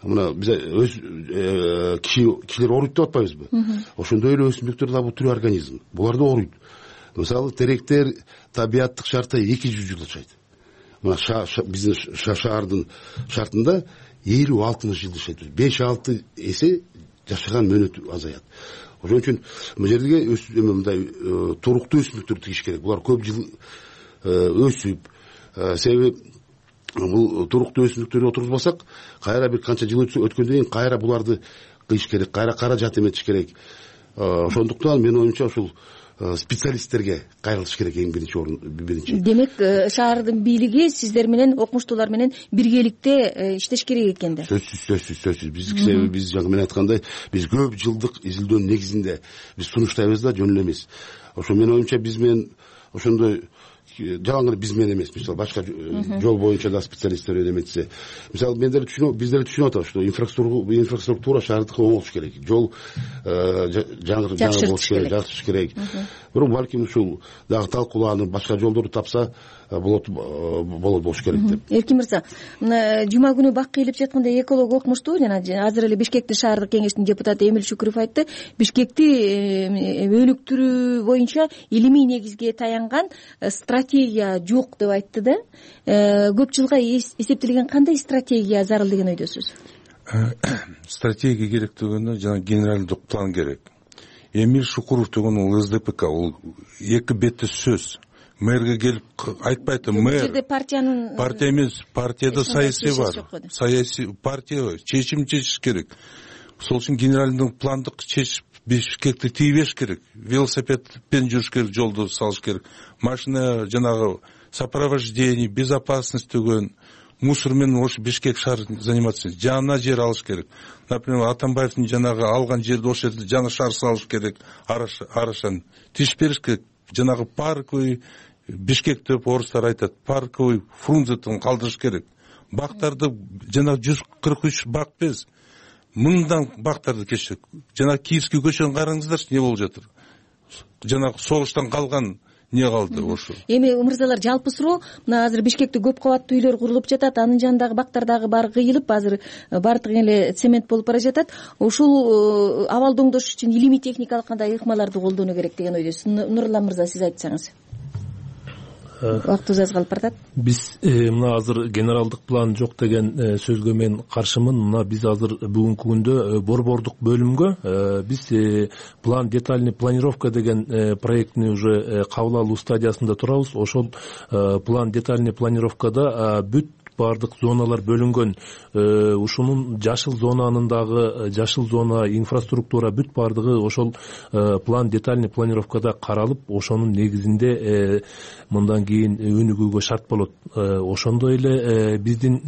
мына биз кишилер ооруйт деп атпайбызбы? Ошондой эле өсүмдүктөр да бул тирүү организм. Булар да ооруйт. Мисалы теректер табияттык шартта 200 жыл жашайт. Мына биздин шаардын шартында 50-60 жыл жашайт. 5-6 эсе жашаган мөөнөтү азаят. Ошон үчүн бул жерге мындай туруктуу өсүмдүктөр тигиш керек. Булар көп жыл өсүп, себеби бул туруктуу өсүмдүктөрдү отургузбасак, кайра бир канча жыл өткөндөн кийин кайра буларды кыйыш керек, кайра каражат эметиш керек. Ошондуктан менин оюмча ушул специалисттерге кайрылыш керек эң биринчи. Демек, шаардын бийлиги сиздер менен, окумуштуулар менен биргеликте иштеш керек экен да. Сөзсүз. Биз жаңы мен айткандай, биз көп жылдык изилдөөнүн негизинде биз сунуштайбыз да, жөн эле эмес. Ошо менин оюмча биз менен ошондой жалаң эле биз менен эмес, мисалы башка жол боюнча да специалисттер эметсе. Мисалы биздер түшүнүп атабыз, что инфраструктура шаардыкы оңолуш керек. Жол жаңы болуш керек, жакшыртыш керек. Бирок балким ушул дагы талкууланып, башка жолдорду тапса болот болуш керек деп. Эркин мырза, жума күнү бак кыйылып жатканда эколог окумуштуу, жана азыр эле Бишкектин шаардык кеңештин депутаты Эмил Шүкүров айтты, Бишкекти өнүктүрүү боюнча илимий негизге таянган стратегия жок деп айтты да. Көп жылга эсептелген кандай стратегия зарыл деген ойдосуз? Стратегия керек дегенде жана генералдык план керек. Эмил Шукуров деген ул СДПК, ул 2 бетте сөз. Мэрге келип айтпайт, мэр. Жерде партиянын партия эмес, партияда саясий бар. Саясий партия чечим чечиш керек. Сол үчүн генералдык пландык чечип Бишкекти тийбеш керек. Велосипедпен жүрүш керек, жолду салыш керек. Машина жанагы сопровождение, безопасность деген мусор менен ошо Бишкек шаарын заниматься, жаңы жер алыш керек. Например, Атамбаевдин жанагы алган жерди ошол жерде жаңы шаар салыш керек, арашан тиш бериш керек. Жанагы парковый Бишкек деп орустар айтат, парковый Фрунзетин калдырыш керек. Бактарды жанагы 143 бак без, 1000дан бактарды кечет. Жанагы Киевский көчөнү караңыздарчы, не болуп жатыр? Жанагы согуштан калган не калды ошо. Эми мырзалар, жалпы суроо, мына азыр Бишкекте көп кабаттуу үйлөр курулуп жатат, анын жанындагы бактардагы баары кыйылып, азыр баардыгы эле цемент болуп бара жатат. Ушул абалды оңдош үчүн илимий техникалык кандай ыкмаларды колдонуу керек деген ойдосуз. Нурлан мырза, сиз айтсаңыз. Убактыбыз аз калып баратат. Биз мына азыр генералдык план жок деген сөзгө мен каршымын. Мына биз азыр бүгүнкү күндө борбордук бөлүмгө биз план детальный планировка деген проектни уже кабыл алуу стадиясында турабыз. Ошол план детальный планировкада бүт баардык зоналар бөлүнгөн. Ушунун жашыл зонанын дагы жашыл зона, инфраструктура бүт баардыгы ошол план детальный планировкада каралып, ошонун негизинде мындан кийин өнүгүүгө шарт болот. Ошондой эле биздин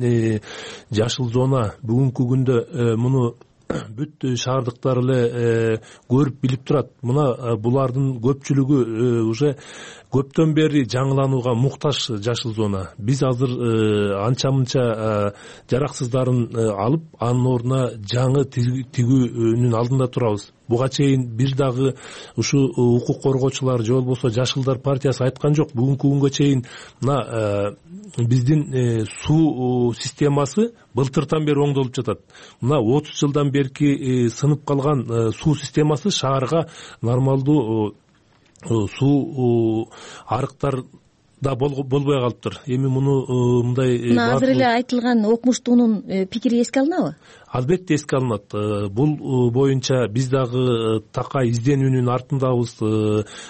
жашыл зона бүгүнкү күндө муну бүт шаардыктар эле көрүп билип турат. Мына булардын көпчүлүгү уже көптөн бери жаңыланууга муктаж жашыл зона. Биз азыр анча-мынча жараксыздарын алып, анын ордуна жаңы тигүүнүн алдында турабыз. буга чейин бир дагы ушул укук коргоочулар же болбосо Жашылдар партиясы айткан жок. Бүгүнкү күнгө чейин мына биздин суу системасы былтыртан бери оңдолуп жатат. Мына 30 жылдан берки сынып калган суу системасы шаарга нормалдуу суу арыктар да болбой калыптыр. Эми муну мындай азыр эле айтылган окумуштуунун пикири эске алынабы? Албетте эске алынат. Бул боюнча биз дагы такай изденүүнүн артындабыз.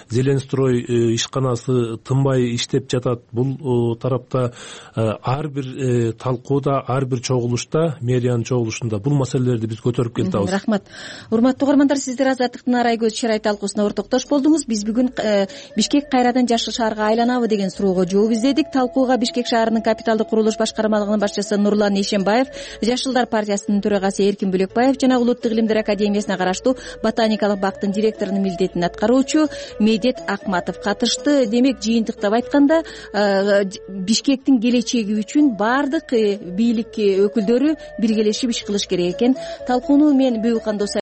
Зеленстрой ишканасы тынбай иштеп жатат. Бул тарапта ар бир талкууда, ар бир чогулушта, мэриянын чогулушунда бул маселелерди биз көтөрүп келатабыз. Рахмат. Урматтуу угармандар, сиздер Азаттыктын арай көз чырай талкуусуна ортоктош болдуңуз. Биз бүгүн Бишкек кайрадан жашыл шаарга айланабы деген суроого жооп издедик. Талкууга Бишкек шаарынын капиталдык курулуш башкармалыгынын башчысы Нурлан Ишембаев, Жашылдар партиясынын төрагасы Эркин Бөлекбаев жана Улуттук илимдер академиясына караштуу ботаникалык бактын директорунун милдетин аткаруучу Медет Акматов катышты. Демек, жыйынтыктап айтканда, Бишкектин келечеги үчүн баардык бийлик өкүлдөрү биргелешип иш кылыш керек экен. Талкууну мен Бөйүкхан